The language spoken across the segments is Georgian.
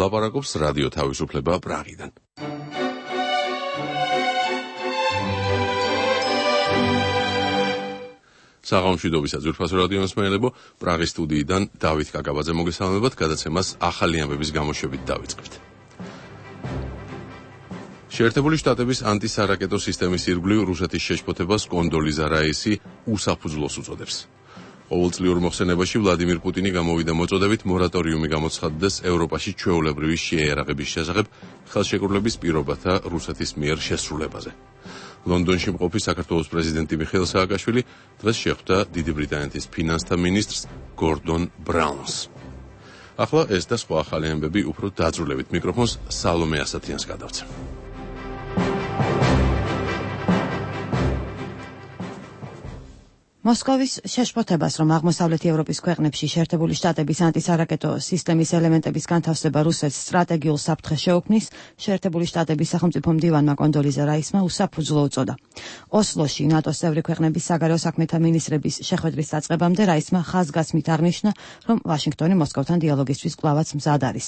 ლაპარაკობს რადიო თავისუფლება პრაღიდან. საღამომშვიდობისა ძვირფასო რადიო მსმენელებო, პრაღის სტუდიიდან დავით კაკაბაძე მოგესალმებათ, გადაცემას ახალი ამბების გამოშვებით დავიწყებთ. შეერთებული შტატების ანტისარაკეტო სისტემის ირგვლივ რუსეთის შეშფოთებას კონდოლიზა რაისი უსაფუძვლოს უწოდებს. ყოველწლიურ მოხსენებაში ვლადიმირ პუტინი გამოვიდა მოწოდებით მორატორიუმი გამოცხადდეს ევროპაში ჩვეულებრივი შეიარაღების შესახებ ხელშეკრულების პირობათა რუსეთის მიერ შესრულებაზე. ლონდონში მყოფი საქართველოს პრეზიდენტი მიხეილ სააკაშვილი დღეს შეხვდა დიდი ბრიტანეთის ფინანსთა მინისტრს გორდონ ბრაუნს. ახლა ეს და სხვა ახალი ამბები უფრო დაძრულებით მიკროფონს სალომე ასათიანს გადავცემ. მოსკოვის შეშფოთებას, რომ აღმოსავლეთი ევროპის ქვეყნებში შეერთებული შტატების ანტისარაკეტო სისტემის ელემენტების განთავსება რუსეთს სტრატეგიულ საფრთხეს შეუქმნის, შეერთებული შტატების სახელმწიფო მდივანმა კონდოლიზა რაისმა უსაფუძვლო უწოდა. ოსლოში ნატოს წევრი ქვეყნების საგარეო საქმეთა მინისტრების შეხვედრის დაწყებამდე რაისმა ხაზგასმით აღნიშნა, რომ ვაშინგტონი მოსკოვთან დიალოგისთვის კვლავაც მზად არის.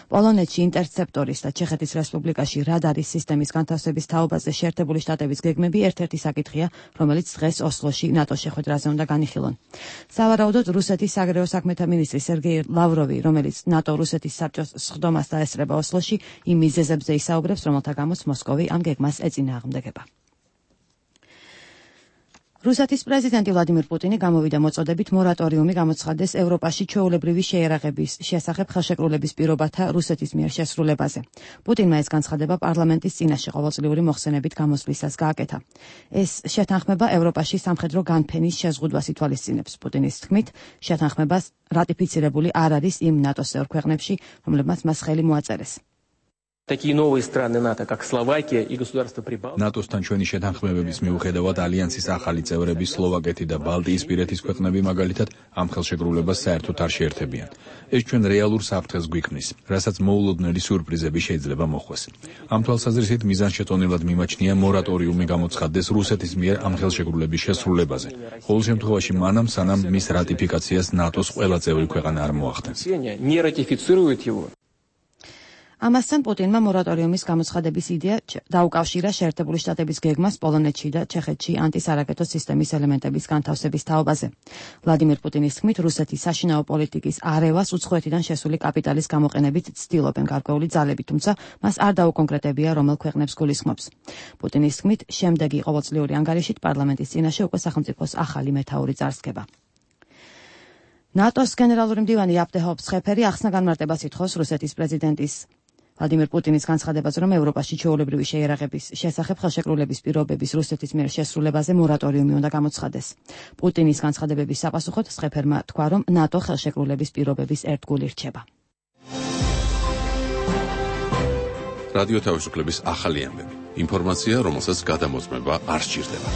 პოლონეთში ინტერცეპტორის და ჩეხეთის რესპუბლიკაში რადარის სისტემის განთავსების თაობაზე შეერთებული შტატების გეგმები ერთ-ერთი საკითხია, რომელიც დღეს ოსლოში ნატოს ხვედრაზე უნდა განიხილონ. სავარაუდოდ რუსეთის საგარეო საქმეთა მინისტრი სერგეი ლავროვი, რომელიც ნატო-რუსეთის საბჭოს სხდომას დაესწრება ოსლოში, იმ მიზეზებზე ისაუბრებს, რომელთა გამოც მოსკოვი ამ გეგმას ეწინააღმდეგება. რუსეთის პრეზიდენტი ვლადიმირ პუტინი გამოვიდა მოწოდებით მორატორიუმი გამოცხადდეს ევროპაში ჩვეულებრივი შეიარაღების შესახებ ხელშეკრულების პირობათა რუსეთის მიერ შესრულებაზე. პუტინმა ეს განცხადება პარლამენტის წინაშე ყოველწლიური მოხსენებით გამოსვლისას გააკეთა. ეს შეთანხმება ევროპაში სამხედრო განფენის შეზღუდვას ითვალისწინებს. პუტინის თქმით, შეთანხმებას რატიფიცირებული არ არის იმ ნატოს წევრ ქვეყნებში, რომლებმაც მას ხელი მოაწერეს. ნატოსთან ჩვენი შეთანხმებების მიუხედავად ალიანსის ახალი წევრები სლოვაკეთი და ბალტიისპირეთის ქვეყნები მაგალითად ამ ხელშეკრულებას საერთოდ არ შეერთებიან. ეს ჩვენ რეალურ საფრთხეს გვიქმნის, რასაც მოულოდნელი სიურპრიზები შეიძლება მოხვდეს. ამ თვალსაზრისით მიზანშეწონილად მიმაჩნია მორატორიუმი გამოცხადდეს რუსეთის მიერ ამ ხელშეკრულების შესრულებაზე. ყოველ შემთხვევაში მანამ, სანამ მის რატიფიკაციას ნატოს ყველა წევრი ქვეყანა არ მოახდენს. ამასთან პუტინმა მორატორიუმის გამოცხადების იდეა დაუკავშირა შეერთებული შტატების გეგმას პოლონეთში და ჩეხეთში ანტისარაკეტო სისტემის ელემენტების განთავსების თაობაზე. ვლადიმირ პუტინის თქმით, რუსეთის საშინაო პოლიტიკის არევას უცხოეთიდან შესული კაპიტალის გამოყენებით ცდილობენ გარკვეული ძალები, თუმცა მას არ დაუკონკრეტებია, რომელ ქვეყნებს გულისხმობს. პუტინის თქმით, შემდეგი ყოველწლიური ანგარიშით პარლამენტის წინაშე უკვე სახელმწიფოს ახალი მეთაური წარსდგება. ნატოს გენერალური მდივანი აპტე ჰოფსხეფერი ახსნა განმარტებას ითხოვს რუსეთის პრეზიდენტის ვლადიმირ პუტინის განცხადებაზე, რომ ევროპაში ჩვეულებრივი შეიარაღების შესახებ ხელშეკრულების პირობების რუსეთის მიერ შესრულებაზე მორატორიუმი უნდა გამოცხადდეს. პუტინის განცხადებების საპასუხოდ სხეფერმა თქვა, რომ ნატო ხელშეკრულების პირობების ერთგული რჩება. რადიო თავისუფლების ახალი ამბები. ინფორმაცია, რომელსაც გადამოწმება არ სჭირდება.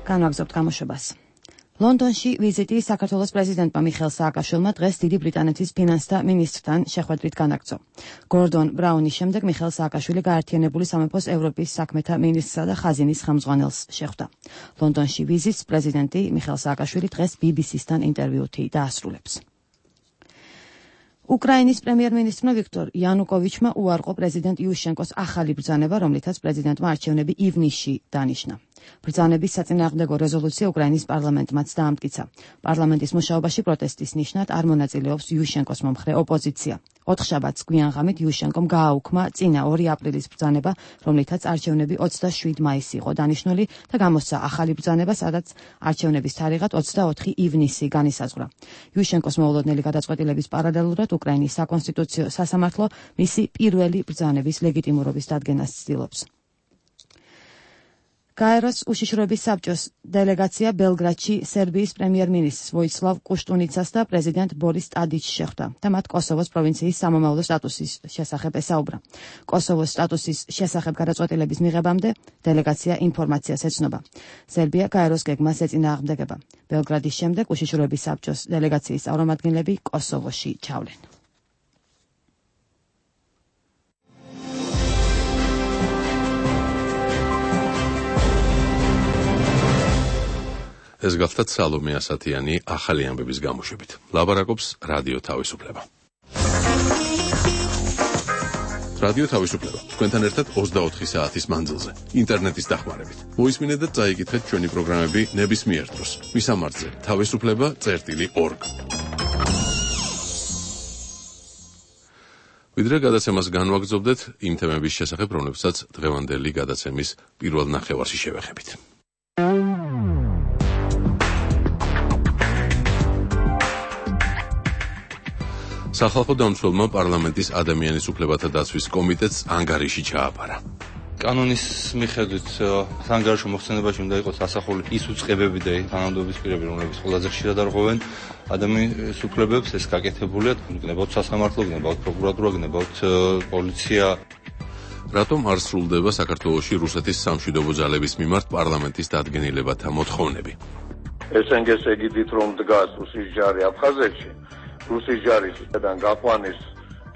განვაგრძობთ გამოშვებას. ლონდონში ვიზიტი საქართველოს პრეზიდენტმა მიხეილ სააკაშვილმა დღეს დიდი ბრიტანეთის ფინანსთა მინისტრთან შეხვედრით განაგრძო. გორდონ ბრაუნის შემდეგ მიხეილ სააკაშვილი გაერთიანებული სამეფოს ევროპის საქმეთა მინისტრსა და ხაზინის ხელმძღვანელს შეხვდა. ლონდონში ვიზიტს პრეზიდენტი მიხეილ სააკაშვილი დღეს BBC-სთან ინტერვიუთი დაასრულებს. უკრაინის პრემიერ-მინისტრმა ვიქტორ იანუკოვიჩმა უარყო პრეზიდენტ იუშენკოს ახალი ბრძანება, რომლითაც პრეზიდენტმა არჩევნები ივნისში დანიშნა. ბრძანების საწინააღმდეგო რეზოლუცია უკრაინის პარლამენტმაც დაამტკიცა. პარლამენტის მუშაობაში პროტესტის ნიშნად არ მონაწილეობს იუშენკოს მომხრე ოპოზიცია. 4 შაბათს გვიანღამით იუშენკომ გააუქმა წინა 2 აპრილის ბრძანება, რომლითაც არჩევნები 27 მაისს იყო დანიშნული და გამოსცა ახალი ბრძანება, სადაც არჩევნების თარიღად 24 ივნისი განისაზღვრა. იუშენკოს მოულოდნელი გადაწყვეტილების პარალელურად უკრაინის საკონსტიტუციო სასამართლო მისი პირველი ბრძანების ლეგიტიმურობის დადგენას ცდილობს. გაეროს უშიშროების საბჭოს დელეგაცია ბელგრადში სერბიის პრემიერ-მინისტრს ვოიცლავ კუშტუნიცას და პრეზიდენტ ბორის ტადიჩს შეხვდა და მათ კოსოვოს პროვინციის სამომავლო სტატუსის შესახებ ესაუბრა. კოსოვოს სტატუსის შესახებ გადაწყვეტილების მიღებამდე დელეგაცია ინფორმაციას ეცნობა. სერბია გაეროს გეგმას ეწინააღმდეგება. ბელგრადის შემდეგ უშიშროების საბჭოს დელეგაციის წარმომადგენლები კოსოვოში ჩავლენ. ეს გახლდათ სალომე ასათიანი ახალი ამბების გამოშვებით. ლაბარაკობს რადიო თავისუფლება. რადიო თავისუფლება. თქვენთან ერთად 24 საათის მანძილზე, ინტერნეტის დახმარებით. მოისმინეთ და წაიკითხეთ ჩვენი პროგრამები ნებისმიერ დროს. მისამართზე თავისუფლება.org. ვიდრე გადაცემას განვაგრძობდეთ იმ თემების შესახებ, რომლებსაც დღევანდელი გადაცემის პირველ ნახევარში შევეხებით. სახალხო დამცველმა პარლამენტის ადამიანის უფლებათა დაცვის კომიტეტს ანგარიში ჩააბარა. კანონის მიხედვით ანგარიშო მოხსენებაში უნდა იყოს ასახული ის უწყებები და თანამდებობის პირები, რომლებიც ყველაზე ხშირად არღვევენ ადამიანის უფლებებს, ეს გაკეთებულია, გნებავთ სასამართლო, გნებავთ პროკურატურა, გნებავთ პოლიცია. რატომ არ სრულდება საქართველოში რუსეთის სამშვიდობო ძალების მიმართ პარლამენტის დადგენილებათა მოთხოვნები? ესენგეს ეგიდით რომ დგას რუსის ჯარი აფხაზეთში, რუსის ჯარისგან გაყვანის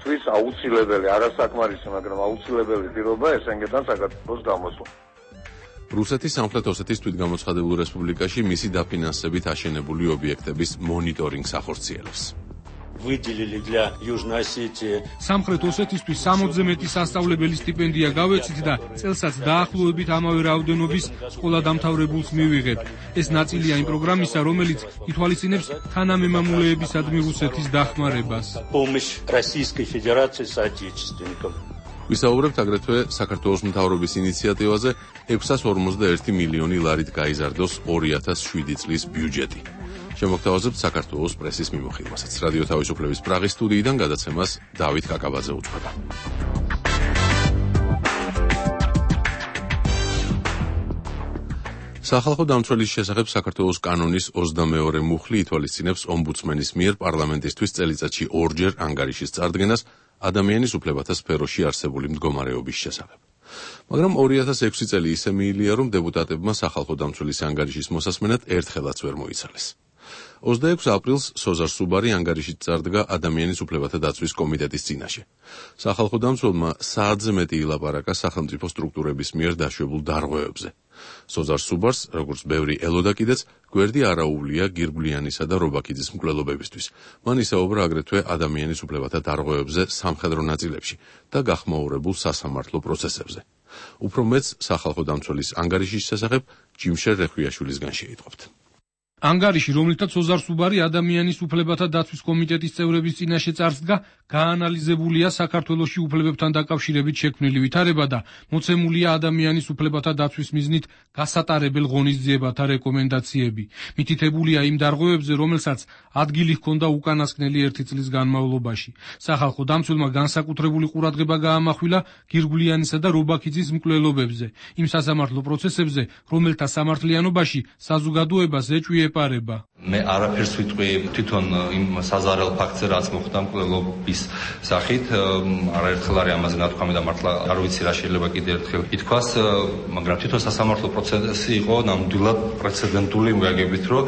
თვის აუცილებელი, არასაკმარისი, მაგრამ აუცილებელი პირობა ესენგედან საქართველოს გამოსვლა. რუსეთის სამხრეთ ოსეთის თვითგამოცხადებულ რესპუბლიკაში მისი დაფინანსებით აშენებული ობიექტების მონიტორინგს ახორციელებს. სამხრეთ ოსეთისთვის 60-ზე მეტი სასწავლებელი სტიპენდია გავეცით და წელსაც დაახლოებით ამავე რაოდენობის სკოლა დამთავრებულს მივიღებ. ეს ნაწილია იმ პროგრამისა, რომელიც ითვალისწინებს თანამემამულეებისადმი რუსეთის დახმარებას. ვისაუბრებთ აგრეთვე საქართველოს მთავრობის ინიციატივაზე 651 მილიონი ლარით გაიზარდოს 2007 წლის ბიუჯეტი. შემოგთავაზებთ საქართველოს პრესის მიმოხილვასაც. რადიო თავისუფლების პრაღის სტუდიიდან გადაცემას დავით კაკაბაძე უძღვება. სახალხო დამცველის შესახებ საქართველოს კანონის 22 მუხლი ითვალისწინებს ომბუდსმენის მიერ პარლამენტისთვის წელიწადში ორჯერ ანგარიშის წარდგენას ადამიანის უფლებათა სფეროში არსებული მდგომარეობის შესახებ. მაგრამ 2006 წელი ისე მიილია, რომ დეპუტატებმა სახალხო დამცველის ანგარიშის მოსასმენად ერთხელაც ვერ მოიცალეს. 26 აპრილს სოზარ სუბარი ანგარიშით წარდგა ადამიანის უფლებათა დაცვის კომიტეტის წინაშე. სახალხო დამცველმა საათზე მეტი ილაპარაკა სახელმწიფო სტრუქტურების მიერ დაშვებულ დარღვევებზე. სოზარ სუბარს, როგორც ბევრი ელოდა კიდეც, გვერდი არაუვლია გირგვლიანისა და რობაქიძის მკვლელობებისთვის. მან ისაუბრა აგრეთვე ადამიანის უფლებათა დარღვევებზე სამხედრო ნაწილებში და გახმაურებულ სასამართლო პროცესებზე. უფრო მეც სახალხო დამცველის ანგარიშის შესახებ ჯიმშერ რეხვიაშვილისგან შეიტყობთ. ანგარიში, რომლითაც სოზარ სუბარი ადამიანის უფლებათა დაცვის კომიტეტის წევრების წინაშე წარსდგა, გაანალიზებულია საქართველოში უფლებებთან დაკავშირებით შექმნილი ვითარება და მოცემულია ადამიანის უფლებათა დაცვის მიზნით გასატარებელ ღონისძიებათა რეკომენდაციები. მითითებულია იმ დარღვევებზე, რომელსაც ადგილი ჰქონდა უკანასკნელი 1 წლის განმავლობაში. სახალხო დამცველმა განსაკუთრებული ყურადღება გაამახვილა გირგვლიანისა და რობაქიძის მკვლელობებზე, იმ სასამართლო პროცესებზე, რომელთა სამართლიანობაში საზოგადოებას ეჭვი ეპარება. მე არაფერს ვიტყვი თვითონ იმ საზარელ ფაქტზე, რაც მოხდა მკვლელობის სახით, არაერთხელ არის ამაზე ნათქვამი და მართლა არ ვიცი რა შეიძლება კიდევ ერთხელ ითქვას, მაგრამ თვითონ სასამართლო პროცესი იყო ნამდვილად პრეცედენტული მიაგებით, რომ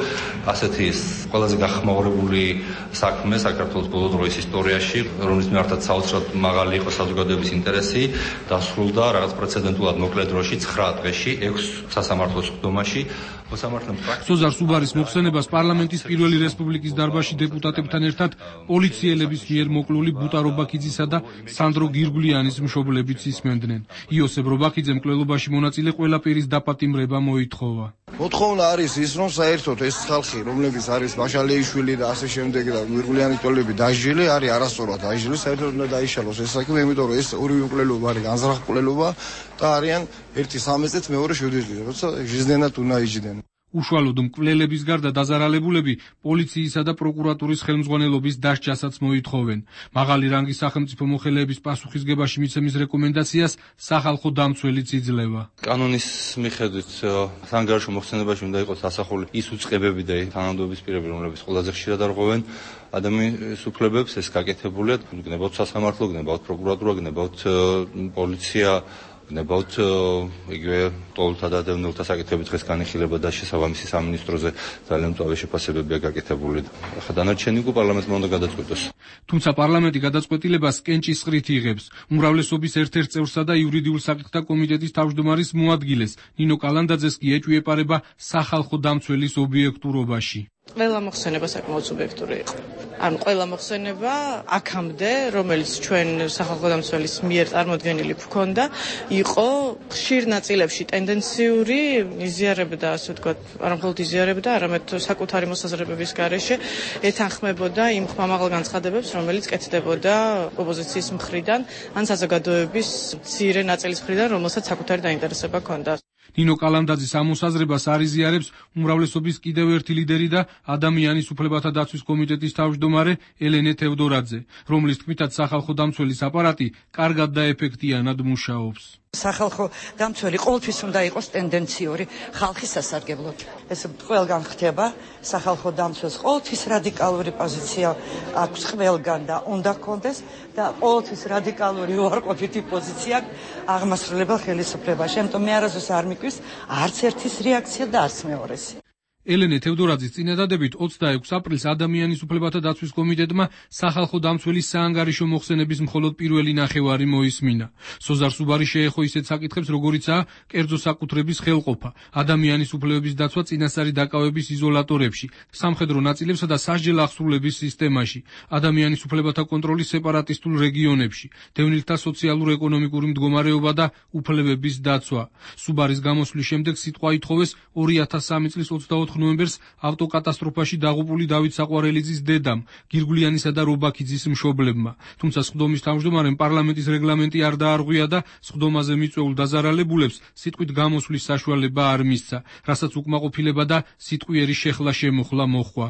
ასეთი ყველაზე გახმაურებული საქმე საქართველოს ბოლო დროის ისტორიაში, რომლის მიმართაც საოცრად მაღალი იყო საზოგადოების ინტერესი, დასრულდა რაღაც პრეცედენტულად მოკლე დროში 9 დღეში 6 სასამართლოს სხდომაში. სოზარ სუბარის მოხსენებას პარლამენტის პირველი რესპუბლიკის დარბაზში დეპუტატებთან ერთად პოლიციელების მიერ მოკლული ბუტა რობაქიძისა და სანდრო გირგვლიანის მშობლებიც ისმენდნენ. იოსებ რობაქიძემ მკვლელობაში მონაწილე ყველა პირის დაპატიმრება მოითხოვა. მოთხოვნა არის ის, რომ საერთოდ ეს ხალხი, რომლებიც არის მაშალეიშვილი და ასე შემდეგ და გირგვლიანის ტოლები დაჟილი, არის არასწორად დაჟილი, საერთოდ უნდა დაიშალოს ეს საქმე, იმიტომ რომ ეს ორივე მკვლელობა არის განზრახ მკვლელობა და არიან ერთი 13-ით მეორე 7-ით, როცა ჟიზნენად უნდა იჯდნენ. უშუალოდ მკვლელების გარდა დაზარალებულები პოლიციისა და პროკურატურის ხელმძღვანელობის დასჯასაც მოითხოვენ. მაღალი რანგის სახელმწიფო მოხელეების პასუხისგებაში მიცემის რეკომენდაციას სახალხო დამცველიც იძლევა. კანონის მიხედვით ანგარიშო მოხსენებაში უნდა იყოს ასახული ის უწყებები და თანამდებობის პირები, რომლებიც ყველაზე ხშირად არღვევენ ადამიანის უფლებებს, ეს გაკეთებულია, გნებავთ სასამართლო, გნებავთ პროკურატურა, გნებავთ პოლიცია, ნებავთ იგივე ტოლთა და დევნილთა საკითხები დღეს განიხილება და შესაბამისი სამინისტროზე ძალიან მწვავე შეფასებებია გაკეთებული. ახლა დანარჩენი უკვე პარლამენტმა უნდა გადაწყვეტოს. თუმცა პარლამენტი გადაწყვეტილებას კენჭისყრით იღებს. უმრავლესობის ერთ-ერთ წევრსა და იურიდიულ საკითხთა კომიტეტის თავმჯდომარის მოადგილეს ნინო კალანდაძეს კი ეჭვიეპარება სახალხო დამცველის ობიექტურობაში. ყველა მოხსენება საკმაოდ სუბიექტური იყო. ანუ ყველა მოხსენება აქამდე, რომელიც ჩვენ სახალხო დამცველის მიერ წარმოდგენილი გვქონდა, იყო ხშირ ნაწილებში ტენდენციური, იზიარებდა, ასე ვთქვათ, არა მხოლოდ იზიარებდა, არამედ საკუთარი მოსაზრებების გარეშე ეთანხმებოდა იმ ხმამაღალ განცხადებებს, რომელიც კეთდებოდა ოპოზიციის მხრიდან, ან საზოგადოების მცირე ნაწილის მხრიდან, რომელსაც საკუთარი დაინტერესება ჰქონდა. ნინო კალანდაძის ამ მოსაზრებას არ იზიარებს უმრავლესობის კიდევ ერთი ლიდერი და ადამიანის უფლებათა დაცვის კომიტეტის თავმჯდომარე ელენე თევდორაძე, რომლის თქმითაც სახალხო დამცველის აპარატი კარგად და ეფექტიანად მუშაობს. სახალხო დამცველი ყოველთვის უნდა იყოს ტენდენციური ხალხის სასარგებლოდ. ეს ყველგან ხდება, სახალხო დამცველს ყოველთვის რადიკალური პოზიცია აქვს ყველგან და უნდა ჰქონდეს და ყოველთვის რადიკალური უარყოფითი პოზიცია აღმასრულებელ ხელისუფლებაში. ამიტომ მე არასდროს არ მიკვის არც ერთის რეაქცია და არც მეორესი. ელენე თევდორაძის წინადადებით 26 აპრილს ადამიანის უფლებათა დაცვის კომიტეტმა სახალხო დამცველის საანგარიშო მოხსენების მხოლოდ პირველი ნახევარი მოისმინა. სოზარ სუბარი შეეხო ისეთ საკითხებს, როგორიცაა კერძო საკუთრების ხელყოფა, ადამიანის უფლებების დაცვა წინასწარი დაკავების იზოლატორებში, სამხედრო ნაწილებსა და სასჯელ აღსრულების სისტემაში, ადამიანის უფლებათა კონტროლის სეპარატისტულ რეგიონებში, დევნილთა სოციალურ-ეკონომიკური მდგომარეობა და უფლებების დაცვა. სუბარის გამოსვლის შემდეგ სიტყვა ითხოვეს 2003 წლის 24 ნოემბერს ავტოკატასტროფაში დაღუპული დავით საყვარელიძის დედამ, გირგვლიანისა და რობაქიძის მშობლებმა. თუმცა სხდომის თავმჯდომარემ პარლამენტის რეგლამენტი არ დაარღვია და სხდომაზე მიწვეულ დაზარალებულებს სიტყვით გამოსვლის საშუალება არ მისცა, რასაც უკმაყოფილება და სიტყვიერი შეხლა შემოხლა მოჰყვა.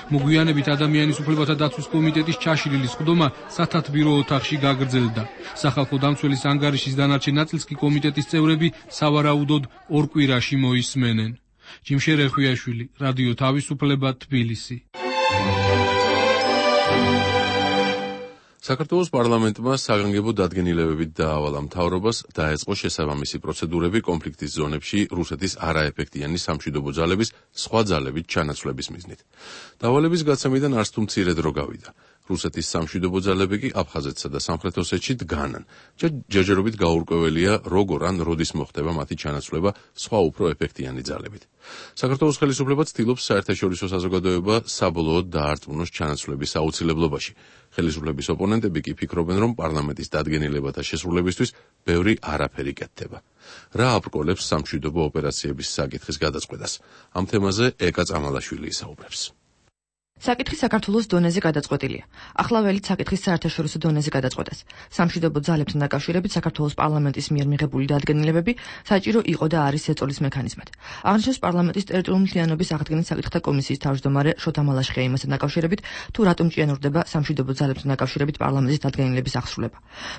მოგვიანებით ადამიანის უფლებათა დაცვის კომიტეტის ჩაშლილი სხდომა სათათბირო ოთახში გაგრძელდა. სახალხო დამცველის ანგარიშის დანარჩენ ნაწილს კი კომიტეტის წევრები სავარაუდოდ ორ კვირაში მოისმენენ. ჯიმშე რეხვიაშვილი, რადიო თავისუფლება, თბილისი. საქართველოს პარლამენტმა საგანგებო დადგენილებებით დაავალა მთავრობას დაეწყო შესაბამისი პროცედურები კონფლიქტის ზონებში რუსეთის არაეფექტიანი სამშვიდობო ძალების სხვა ძალებით ჩანაცვლების მიზნით. დავალების გაცემიდან არც თუ მცირე დრო გავიდა. რუსეთის სამშვიდობო ძალები კი აფხაზეთსა და სამხრეთ ოსეთში დგანან. ჯერჯერობით გაურკვეველია, როგორ ან როდის მოხდება მათი ჩანაცვლება სხვა უფრო ეფექტიანი ძალებით. საქართველოს ხელისუფლება ცდილობს საერთაშორისო საზოგადოება საბოლოოდ დაარწმუნოს ჩანაცვლების აუცილებლობაში. ხელისუფლების ოპონენტები კი ფიქრობენ, რომ პარლამენტის დადგენილებათა შესრულებისთვის ბევრი არაფერი კეთდება. რა აბრკოლებს სამშვიდობო ოპერაციების საკითხის გადაწყვეტას? ამ თემაზე ეკა წამალაშვილი ისაუბრებს. საკითხი საქართველოს დონეზე გადაწყვეტილია. ახლა ველით საკითხის საერთაშორისო დონეზე გადაწყვეტას. სამშვიდობო ძალებთან დაკავშირებით საქართველოს პარლამენტის მიერ მიღებული დადგენილებები საჭირო იყო და არის ეწოლის მექანიზმად. აღნიშნავს პარლამენტის ტერიტორიული მთლიანობის აღდგენის საკითხთა კომისიის თავმჯდომარე შოთა მალაშხია იმასთან დაკავშირებით, თუ რატომ ჭიანურდება სამშვიდობო ძალებთან დაკავშირებით პარლამენტის დადგენილების აღსრულება.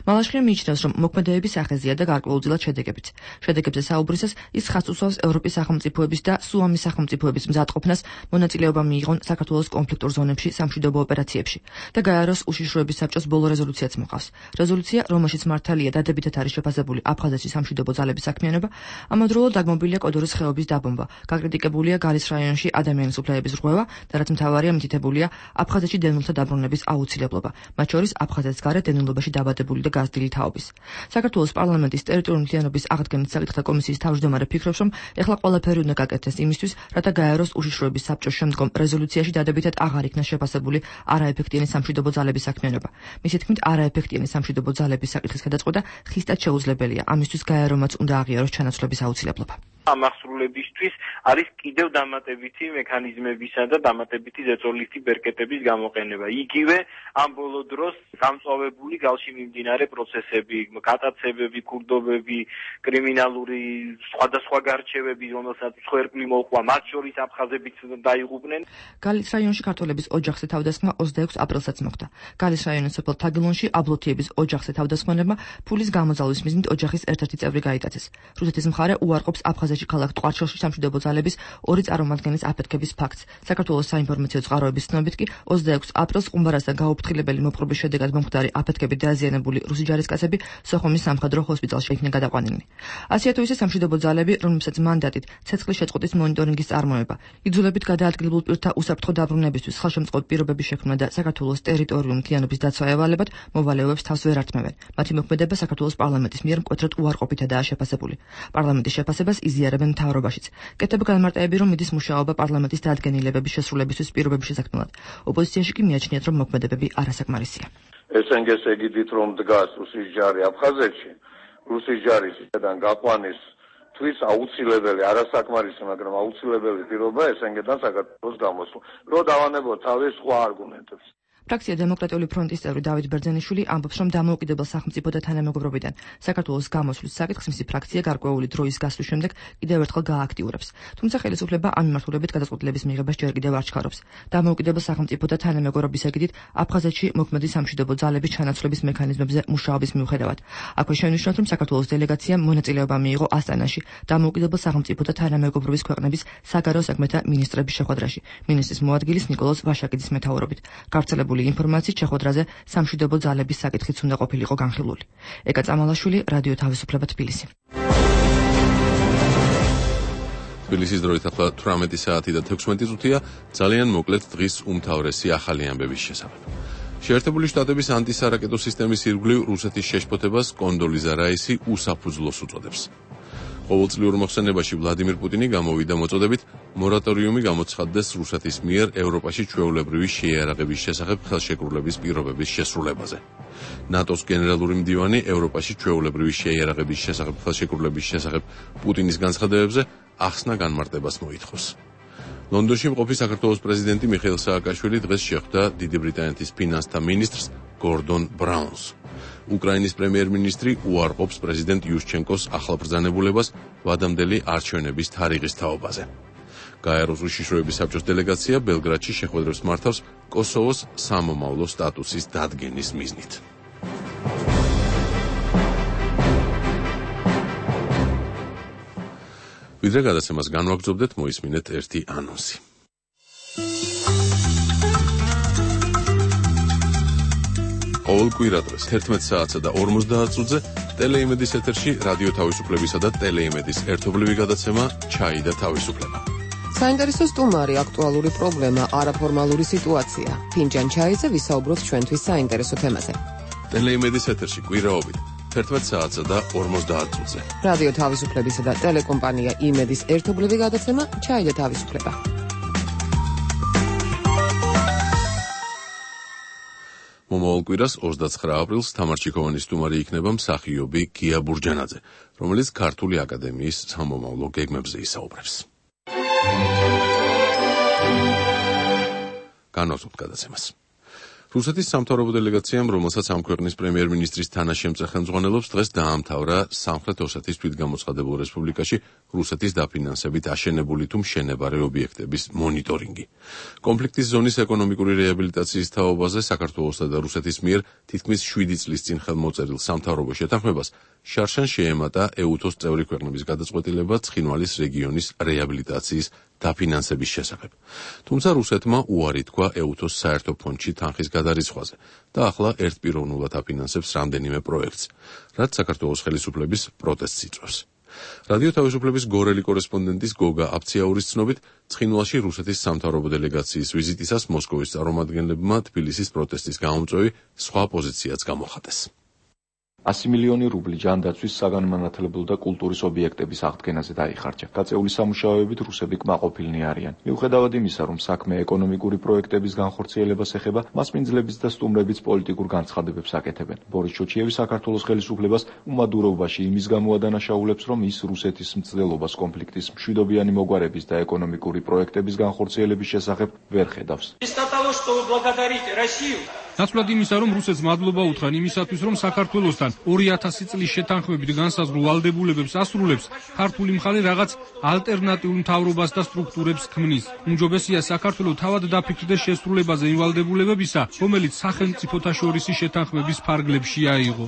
მალაშხია მიიჩნევს, რომ მოქმედებების სახეზეა და გარკვეულწილად შედეგებიც. შედეგებზე საუბრისას ის ხაზს უსვავს ევროპის სახელმწიფოების და სუამის სახელმწიფოების მზადყოფნას მონაწილეობა მიიღონ საქართველოს კონფლიქტურ ზონებში სამშვიდობო ოპერაციებში და გაიაროს უშიშროების საბჭოს ბოლო რეზოლუციაც მოყავს. რეზოლუცია, რომელშიც მართალია დადებითად არის შეფასებული აფხაზეთში სამშვიდობო ძალების საქმიანობა, ამავდროულად დაგმობილია კოდორის ხეობის დაბომბა, გაკრიტიკებულია გალის რაიონში ადამიანის უფლებების რღვევა და რაც მთავარია, მითითებულია აფხაზეთში დევნილთა დაბრუნების აუცილებლობა, მათ შორის აფხაზეთის გარეთ დევნილობაში დაბადებული და გაზრდილი თაობის. საქართველოს პარლამენტის ტერიტორიული მთლიანობის აღდგენის საკითხთა კომისიის თავმჯდომარე ფიქრობს, რომ ეხლა ყველაფერი უნდა გაკეთდეს იმისთვის, რათა გაიაროს უშიშროების საბჭოს შემდგომ რეზოლუციაში დადებითად აღარ იქნა შეფასებული არაეფექტიანი სამშვიდობო ძალების საქმიანობა. მისი თქმით, არაეფექტიანი სამშვიდობო ძალების საკითხის გადაწყვეტა ხისტად შეუძლებელია. ამისთვის გაიარომაც უნდა აღიაროს ჩანაცვლების აუცილებლობა. ამ აღსრულებისთვის არის კიდევ დამატებითი მექანიზმებისა და დამატებითი ზეწოლითი ბერკეტების გამოყენება. იგივე ამ ბოლო დროს გამწვავებული გალში მიმდინარე პროცესები, გატაცებები, ქურდობები, კრიმინალური სხვადასხვა გარჩევები, რომელსაც მსხვერპლი მოჰყვა, მათ შორის აფხაზებიც დაიღუპნენ. გალის რაიონში ქართველების ოჯახზე თავდასხმა 26 აპრილსაც მოხდა. გალის რაიონის სოფელ თაგილონში აბლოთიების ოჯახზე თავდასხმებმა ფულის გამოძალვის მიზნით ოჯახის ერთ-ერთი წევრი გაიტაცეს. რუსეთის მხარე უარყოფს აფხაზეთის აფხაზეთში ქალაქ ტყვარჩელში სამშვიდობო ძალების 2 წარმომადგენლის აფეთქების ფაქტს. საქართველოს საინფორმაციო წყაროების ცნობით კი 26 აპრილს ყუმბარასთან გაუფრთხილებელი მოპყრობის შედეგად მომხდარი აფეთქებით დააზიანებული რუსი ჯარისკაცები სოხუმის სამხედრო ჰოსპიტალში იქნა გადაყვანილნი. ასეა თუ ისე სამშვიდობო ძალები, რომლებსაც მანდატით ცეცხლის შეწყვეტის მონიტორინგის წარმოება, იძულებით გადაადგილებულ პირთა უსაფრთხო დაბრუნებისთვის ხელშემწყობ პირობების შექმნა და საქართველოს ტერიტორიული მთლიანობის დაცვა ევალებად მოვალეობებს თავს ვერ ართმევენ. მათი მოქმედება საქართველოს პარლამენტის მიერ მკვეთრად უარყოფითადაა შეფასებული. პარლამენტის შეფასებას იზიარებენ მთავრობაშიც. კეთდება განმარტებები, რომ მიდის მუშაობა პარლამენტის დადგენილებების შესრულებისთვის პირობების შესაქმნელად. ოპოზიციაში კი მიაჩნიათ, რომ მოქმედებები არასაკმარისია. ესენგეს ეგიდით, რომ დგას რუსის ჯარი აფხაზეთში, რუსის ჯარის ისედან გაყვანის თვის აუცილებელი, არასაკმარისი, მაგრამ აუცილებელი პირობა ესენგედან საქართველოს გამოსვლა. რო დავანებოთ თავის სხვა არგუმენტებს. ფრაქცია დემოკრატიული ფრონტის წევრი დავით ბერძენიშვილი ამბობს, რომ დამოუკიდებელ სახელმწიფო და თანამეგობრობიდან საქართველოს გამოსვლის საკითხს მისი ფრაქცია გარკვეული დროის გასვლის შემდეგ კიდევ ერთხელ გააქტიურებს. თუმცა ხელისუფლება ამ მიმართულებით გადაწყვეტილების მიღებას ჯერ კიდევ არ ჩქარობს. დამოუკიდებელ სახელმწიფო და თანამეგობრობის ეგიდით აფხაზეთში მოქმედი სამშვიდობო ძალების ჩანაცვლების მექანიზმებზე მუშაობის მიუხედავად. აქვე შენიშნოთ, რომ საქართველოს დელეგაციამ მონაწილეობა მიიღო ასტანაში დამოუკიდებელ სახელმწიფო და თანამეგობრობის ქვეყნების საგარეო საქმეთა მინისტრების შეხვედრაში. მინისტრის მოადგილის ნიკოლოზ ვაშაკიძის მეთაურობით. გავრცელებული ინფორმაციით შეხვედრაზე სამშვიდობო ძალების საკითხიც უნდა ყოფილიყო განხილული. ეკა წამალაშვილი, რადიო თავისუფლება თბილისი. თბილისის დროით ახლა 18 საათი და 16 წუთია. ძალიან მოკლედ დღის უმთავრესი ახალი ამბების შესახებ. შეერთებული შტატების ანტისარაკეტო სისტემის ირგვლივ რუსეთის შეშფოთებას კონდოლიზა რაისი უსაფუძვლოს უწოდებს. ყოველწლიურ მოხსენებაში ვლადიმირ პუტინი გამოვიდა მოწოდებით მორატორიუმი გამოცხადდეს რუსეთის მიერ ევროპაში ჩვეულებრივი შეიარაღების შესახებ ხელშეკრულების პირობების შესრულებაზე. ნატოს გენერალური მდივანი ევროპაში ჩვეულებრივი შეიარაღების შესახებ ხელშეკრულების შესახებ პუტინის განცხადებებზე ახსნა განმარტებას მოითხოვს. ლონდონში მყოფი საქართველოს პრეზიდენტი მიხეილ სააკაშვილი დღეს შეხვდა დიდი ბრიტანეთის ფინანსთა მინისტრს გორდონ ბრაუნს. უკრაინის პრემიერ-მინისტრი უარყოფს პრეზიდენტ იუშჩენკოს ახალბრძანებულებას ვადამდელი არჩევნების თარიღის თაობაზე. გაეროს უშიშროების საბჭოს დელეგაცია ბელგრადში შეხვედრებს მართავს კოსოვოს სამომავლო სტატუსის დადგენის მიზნით. ვიდრე გადაცემას განვაგრძობდეთ, მოისმინეთ ერთი ანონსი. ყოველ კვირადღეს 11 საათსა და 50 წუთზე ტელეიმედის ეთერში რადიო თავისუფლებისა და ტელეიმედის ერთობლივი გადაცემა ჩაი და თავისუფლება. საინტერესო სტუმარი, აქტუალური პრობლემა, არაფორმალური სიტუაცია. ფინჯან ჩაიზე ვისაუბროთ ჩვენთვის საინტერესო თემაზე. ტელეიმედის ეთერში კვირაობით 11 საათსა და 50 წუთზე. რადიო თავისუფლებისა და ტელეკომპანია იმედის ერთობლივი გადაცემა ჩაი და თავისუფლება. მომავალ კვირას 29 აპრილს თამარჩიქოვანის სტუმარი იქნება მსახიობი გია ბურჯანაძე, რომელიც ქართული აკადემიის სამომავლო გეგმებზე ისაუბრებს. განვაგრძობთ გადაცემას. რუსეთის სამთავრობო დელეგაციამ, რომელსაც ამ ქვეყნის პრემიერ-მინისტრის თანაშემწე ხელმძღვანელობს, დღეს დაამთავრა სამხრეთ ოსეთის თვითგამოცხადებულ რესპუბლიკაში რუსეთის დაფინანსებით აშენებული თუ მშენებარე ობიექტების მონიტორინგი. კონფლიქტის ზონის ეკონომიკური რეაბილიტაციის თაობაზე საქართველოსა და რუსეთის მიერ თითქმის 7 წლის წინ ხელმოწერილ სამთავრობო შეთანხმებას შარშან შეემატა ეუთოს წევრი ქვეყნების გადაწყვეტილება ცხინვალის რეგიონის რეაბილიტაციის დაფინანსების შესახებ. თუმცა რუსეთმა უარი თქვა ეუთოს საერთო ფონდში თანხის გადარიცხვაზე და ახლა ერთპიროვნულად აფინანსებს რამდენიმე პროექტს, რაც საქართველოს ხელისუფლების პროტესტს იწვევს. რადიო თავისუფლების გორელი კორესპონდენტის გოგა აფციაურის ცნობით, ცხინვალში რუსეთის სამთავრობო დელეგაციის ვიზიტისას მოსკოვის წარმომადგენლებმა თბილისის პროტესტის გამომწვევი სხვა პოზიციაც გამოხატეს. 100 მილიონი რუბლი ჯანდაცვის საგანმანათლებლო და კულტურის ობიექტების აღდგენაზე დაიხარჯა. გაწეული სამუშაოებით რუსები კმაყოფილნი არიან. მიუხედავად იმისა, რომ საქმე ეკონომიკური პროექტების განხორციელებას ეხება, მასპინძლების და სტუმრების პოლიტიკურ განცხადებებს აკეთებენ. ბორის ჩოჩიევი საქართველოს ხელისუფლებას უმადურობაში იმის გამო ადანაშაულებს, რომ ის რუსეთის მცდელობას კონფლიქტის მშვიდობიანი მოგვარების და ეკონომიკური პროექტების განხორციელების შესახებ ვერ ხედავს. ნაცვლად იმისა, რომ რუსეთს მადლობა უთხრან იმისათვის, რომ საქართველოსთან 2000 წლის შეთანხმებით განსაზღვრულ ვალდებულებებს ასრულებს, ქართული მხარე რაღაც ალტერნატიულ მთავრობას და სტრუქტურებს ქმნის. უმჯობესია საქართველოს თავად დაფიქრდეს შესრულებაზე იმ ვალდებულებებისა, რომელიც სახელმწიფოთა შორისი შეთანხმების ფარგლებში აიღო.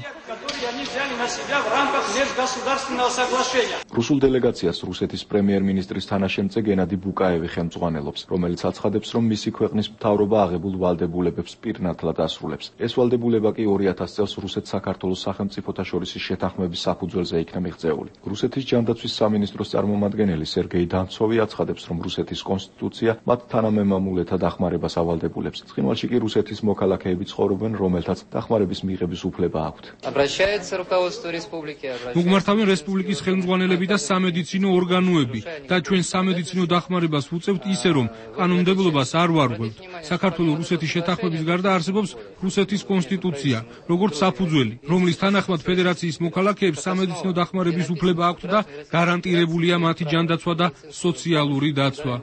на себя в рамках межгосударственного соглашения. რუსულ დელეგაციას რუსეთის პრემიერ-მინისტრის თანაშემწე გენადი ბუკაევი ხელმძღვანელობს, რომელიც აცხადებს, რომ მისი ქვეყნის მთავრობა აღებულ ვალდებულებებს პირნათლად ასრულებს. ეს ვალდებულება კი 2000 წელს რუსეთ-საქართველოს სახელმწიფოთა შორის შეთანხმების საფუძველზე იქნა მიღწეული. რუსეთის ჯანდაცვის სამინისტროს წარმომადგენელი სერგეი დამცოვი აცხადებს, რომ რუსეთის კონსტიტუცია მათ თანამემამულეთა დახმარებას ავალდებულებს. ცხინვალში კი რუსეთის მოქალაქეები ცხოვრობენ, რომელთაც დახმარების მიღების უფლება აქვთ. მოგმართავენ რესპუბლიკის ხელმძღვანელები და სამედიცინო ორგანოები და ჩვენ სამედიცინო დახმარებას ვუწევთ ისე, რომ კანონმდებლობას არ ვარღვევთ. საქართველოს რუსეთის შეთანხმების გარდა არსებობს რუსეთის კონსტიტუცია, როგორც საფუძველი, რომლის თანახმად ფედერაციის მოქალაქეებს სამედიცინო დახმარების უფლება აქვთ და გარანტირებულია მათი ჯანდაცვა და სოციალური დაცვა.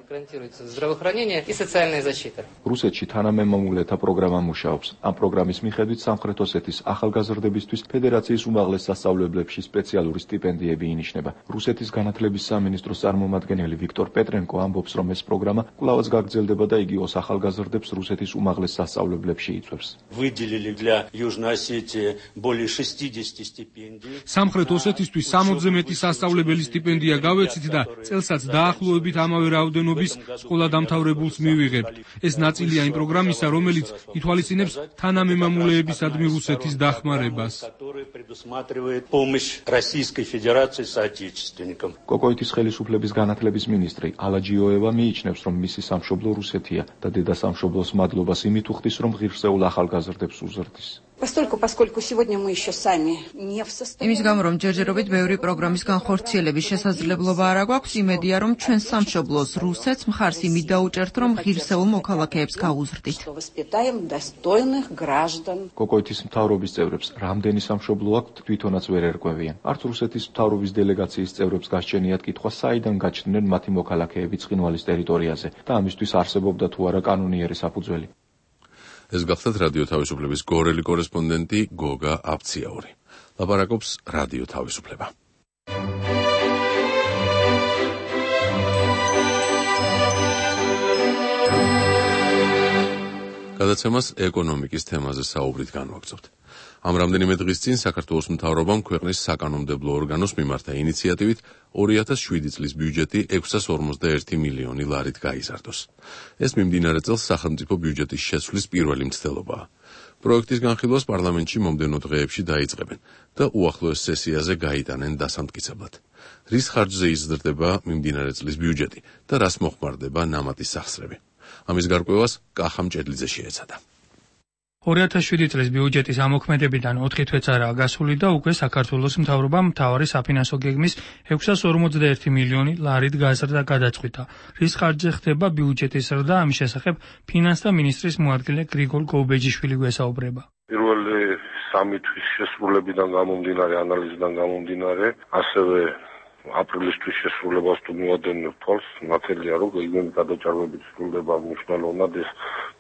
რუსეთში თანამემამულეთა პროგრამა მუშაობს. ამ პროგრამის მიხედვით სამხრეთ ოსეთის ახალგაზრდებისთვის ფედერაციის უმაღლეს სასწავლებლებში სპეციალური სტიპენდიები ინიშნება. რუსეთის განათლების სამინისტროს წარმომადგენელი ვიქტორ პეტრენკო ამბობს, რომ ეს პროგრამა კვლავაც გაგრძელდება და იგი ოს ახალგაზრდებს რუსეთის უმაღლეს სასწავლებლებში იწვევს. სამხრეთ ოსეთისთვის 60-ზე მეტი სასწავლებელი სტიპენდია გავეცით და წელსაც დაახლოებით ამავე რაოდენობის სკოლადამთავრებულს მივიღებთ. ეს ნაწილია იმ პროგრამისა, რომელიც ითვალისწინებს თანამემამულეებისადმი რუსეთის დახმარებას. კოკოიტის ხელისუფლების განათლების მინისტრი ალაჯიოევა მიიჩნევს, რომ მისი სამშობლო რუსეთია და დედა სამშობლოს მადლობას იმით უხდის, რომ ღირსეულ ახალგაზრდებს უზრდის. Поскольку сегодня мы еще сами не в состоянии. იმის გამო, რომ ჯერჯერობით ბევრი პროგრამის განხორციელების შესაძლებლობა არ აქვს, იმედია, რომ ჩვენ სამშობლოს რუსეთს მხარს იმით დაუჭერთ, რომ ღირსეულ მოქალაქეებს გაუზრდით. კოკოიტის მთავრობის წევრებს რამდენი სამშობლო აქვთ, თვითონაც ვერ ერკვევიან. არც რუსეთის მთავრობის დელეგაციის წევრებს გასჩენიათ კითხვა, საიდან გაჩნდნენ მათი მოქალაქეები ცხინვალის ტერიტორიაზე და ამისთვის არსებობდა თუ არა კანონიერი საფუძველი. ეს გახლდათ რადიო თავისუფლების გორელი კორესპონდენტი გოგა აფციაური. ლაპარაკობს რადიო თავისუფლება. გადაცემას ეკონომიკის თემაზე საუბრით განვაგრძობთ. ამ რამდენიმე დღის წინ საქართველოს მთავრობამ ქვეყნის საკანონმდებლო ორგანოს მიმართა ინიციატივით 2007 წლის ბიუჯეტი 641 მილიონი ლარით გაიზარდოს. ეს მიმდინარე წელს სახელმწიფო ბიუჯეტის შეცვლის პირველი მცდელობაა. პროექტის განხილვას პარლამენტში მომდევნო დღეებში დაიწყებენ და უახლოეს სესიაზე გაიტანენ დასამტკიცებლად. რის ხარჯზე იზრდება მიმდინარე წლის ბიუჯეტი და რას მოხმარდება ნამატის სახსრები. ამის გარკვევას კახა მჭედლიძე შეეცადა. 2007 წლის ბიუჯეტის ამოქმედებიდან 4 თვეც არაა გასული და უკვე საქართველოს მთავრობამ მთავარი საფინანსო გეგმის 641 მილიონი ლარით გაზრდა გადაწყვიტა. რის ხარჯზე ხდება ბიუჯეტის ზრდა, ამის შესახებ ფინანსთა მინისტრის მოადგილე გრიგოლ გოუბეჯიშვილი გვესაუბრება. პირველი 3 თვის შესრულებიდან გამომდინარე, ანალიზიდან გამომდინარე, ასევე აპრილისთვის შესრულებას თუ მივადგენთ თვალს, ნათელია, რომ გეგმის გადაჭარბებით სრულდება მნიშვნელოვნად, ეს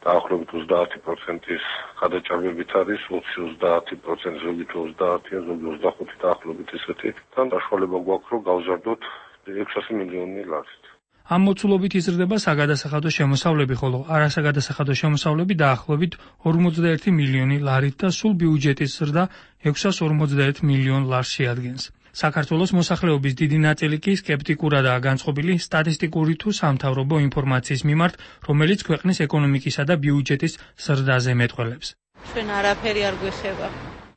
დაახლოებით 30%-ის გადაჭარბებით არის, 20-30%, ზოგი 30, ზოგი 25 დაახლოებით ესეთი, თან საშუალება გვაქვს, რომ გავზარდოთ 600 მილიონი ლარით. ამ მოცულობით იზრდება საგადასახადო შემოსავლები, ხოლო არასაგადასახადო შემოსავლები დაახლოებით 41 მილიონი ლარით და სულ ბიუჯეტის ზრდა 651 მილიონ ლარს შეადგენს. საქართველოს მოსახლეობის დიდი ნაწილი კი სკეპტიკურადაა განწყობილი სტატისტიკური თუ სამთავრობო ინფორმაციის მიმართ, რომელიც ქვეყნის ეკონომიკისა და ბიუჯეტის ზრდაზე მეტყველებს. ჩვენ არაფერი არ გვეხება.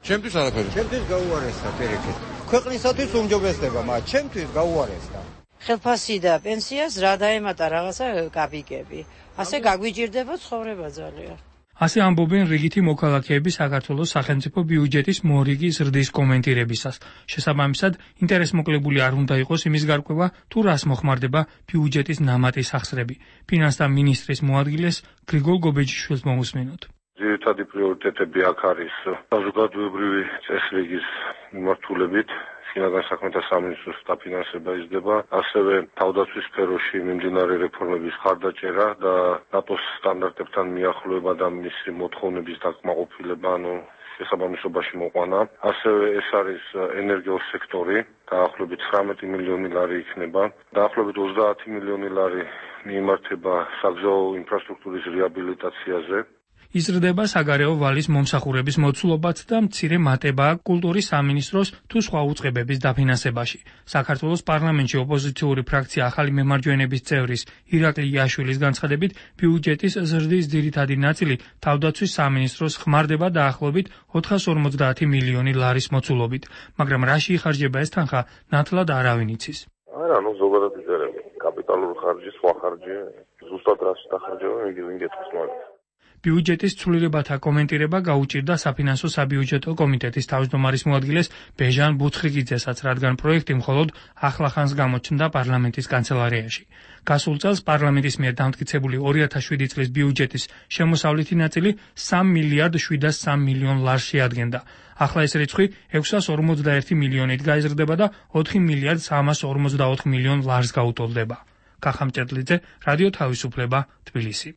ჩემთვის არაფერი. ჩემთვის გაუარესდა პირიქით. ქვეყნისათვის უმჯობესდება, მაგრამ ჩემთვის გაუარესდა. ხელფასი და პენსიას რა დაემატა რაღაცა კაპიკები. ასე გაგვიჭირდება ცხოვრება ძალიან. ასე ამბობენ რიგითი მოქალაქეები საქართველოს სახელმწიფო ბიუჯეტის მორიგი ზრდის კომენტირებისას. შესაბამისად, ინტერესმოკლებული არ უნდა იყოს იმის გარკვევა, თუ რას მოხმარდება ბიუჯეტის ნამატის სახსრები. ფინანსთა მინისტრის მოადგილეს გრიგოლ გობეჯიშვილს მოусმინოთ. ძირითადი პრიორიტეტები აქ არის საზოგადოებრივი წესრიგის მიმართულებით. შინაგან საქმეთა სამინისტროს დაფინანსება იზრდება, ასევე თავდაცვის სფეროში მიმდინარე რეფორმების ხარდაჭერა და ნატოს სტანდარტებთან მიახლოება და მისი მოთხოვნების დაკმაყოფილება, შესაბამისობაში მოყვანა. ასევე ეს არის ენერგიის სექტორი, დაახლოებით 19 მილიონი ლარი იქნება, დაახლოებით 30 მილიონი ლარი მიიმართება საგზაო ინფრასტრუქტურის რეაბილიტაციაზე. იზრდება საგარეო ვალის მომსახურების მოცულობაც და მცირე მატებაა კულტურის სამინისტროს თუ სხვა უწყებების დაფინანსებაში. საქართველოს პარლამენტში ოპოზიციური ფრაქცია ახალი მემარჯვენების წევრის ირაკლი იაშვილის განცხადებით, ბიუჯეტის ზრდის ძირითადი ნაწილი თავდაცვის სამინისტროს ხმარდება დაახლოებით 450 მილიონი ლარის მოცულობით, მაგრამ რაში იხარჯება ეს თანხა, ნათლად არავინ იცის. არა, ზოგადად იწერება. კაპიტალური ხარჯი, სხვა ხარჯი, ზუსტად რაში დახარჯება, ვინ გეტყვის მაგას. ბიუჯეტის ცვლილებათა კომენტირება გაუჭირდა საფინანსო საბიუჯეტო კომიტეტის თავმჯდომარის მოადგილეს ბეჟან ბუცხიგიძესაც, რადგან პროექტი მხოლოდ ახლახანს გამოჩნდა პარლამენტის კანცელარიაში. გასულ წელს პარლამენტის მიერ დამტკიცებული 2007 წლის ბიუჯეტის შემოსავლითი ნაწილი 3 მილიარდ 703 მილიონ ლარს შეადგენდა. ახლა ეს რიცხვი 651 მილიონით გაიზრდება და 4 მილიარდ 354 მილიონ ლარს გაუტოლდება. კახა მჭედლიძე, რადიო თავისუფლება, თბილისი.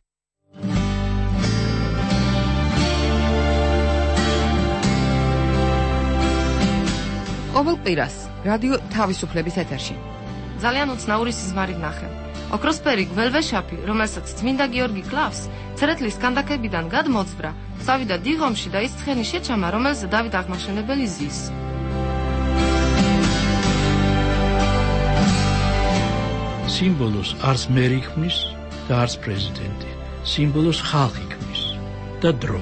ყოველ კვირას რადიო თავისუფლების ეთერში. ძალიან უცნაური სიზმარით ნახე. ოქროსფერი გველვეშაპი, რომელსაც წმინდა გიორგი კლავს, ცერეთლის კანდაკებიდან გადმოძვრა, წავიდა დიღომში და ის ცხენი შეჩამა, რომელზე დავით აღმაშენებელი ზის. სიმბოლოს არც მერი ქმნის და არც პრეზიდენტი. სიმბოლოს ხალხი ქმნის და დრო.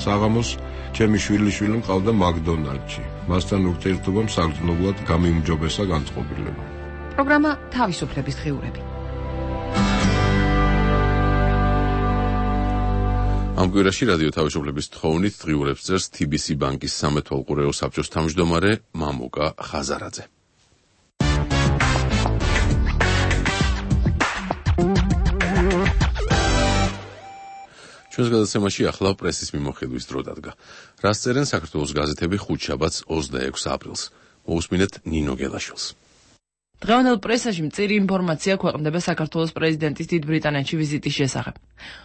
საღამოს ჩემი შვილიშვილი მყავდა მაკდონალდში. მასთან ურთიერთობამ საგრძნობლად გამიმჯობესა განწყობილება. პროგრამა თავისუფლების დღიურები. ამ კვირაში რადიო თავისუფლების თხოვნით დღიურებს წერს TBC ბანკის სამეთვალყურეო საბჭოს თავმჯდომარე მამუკა ხაზარაძე. ჩვენს გადაცემაში ახლა პრესის მიმოხილვის დრო დადგა. რას წერენ საქართველოს გაზეთები ხუთშაბათს 26 აპრილს. მოусმინეთ ნინო გელაშვილს. დღევანდელ პრესაში მწირი ინფორმაცია ქვეყნდება საქართველოს პრეზიდენტის დიდ ბრიტანეთში ვიზიტის შესახებ.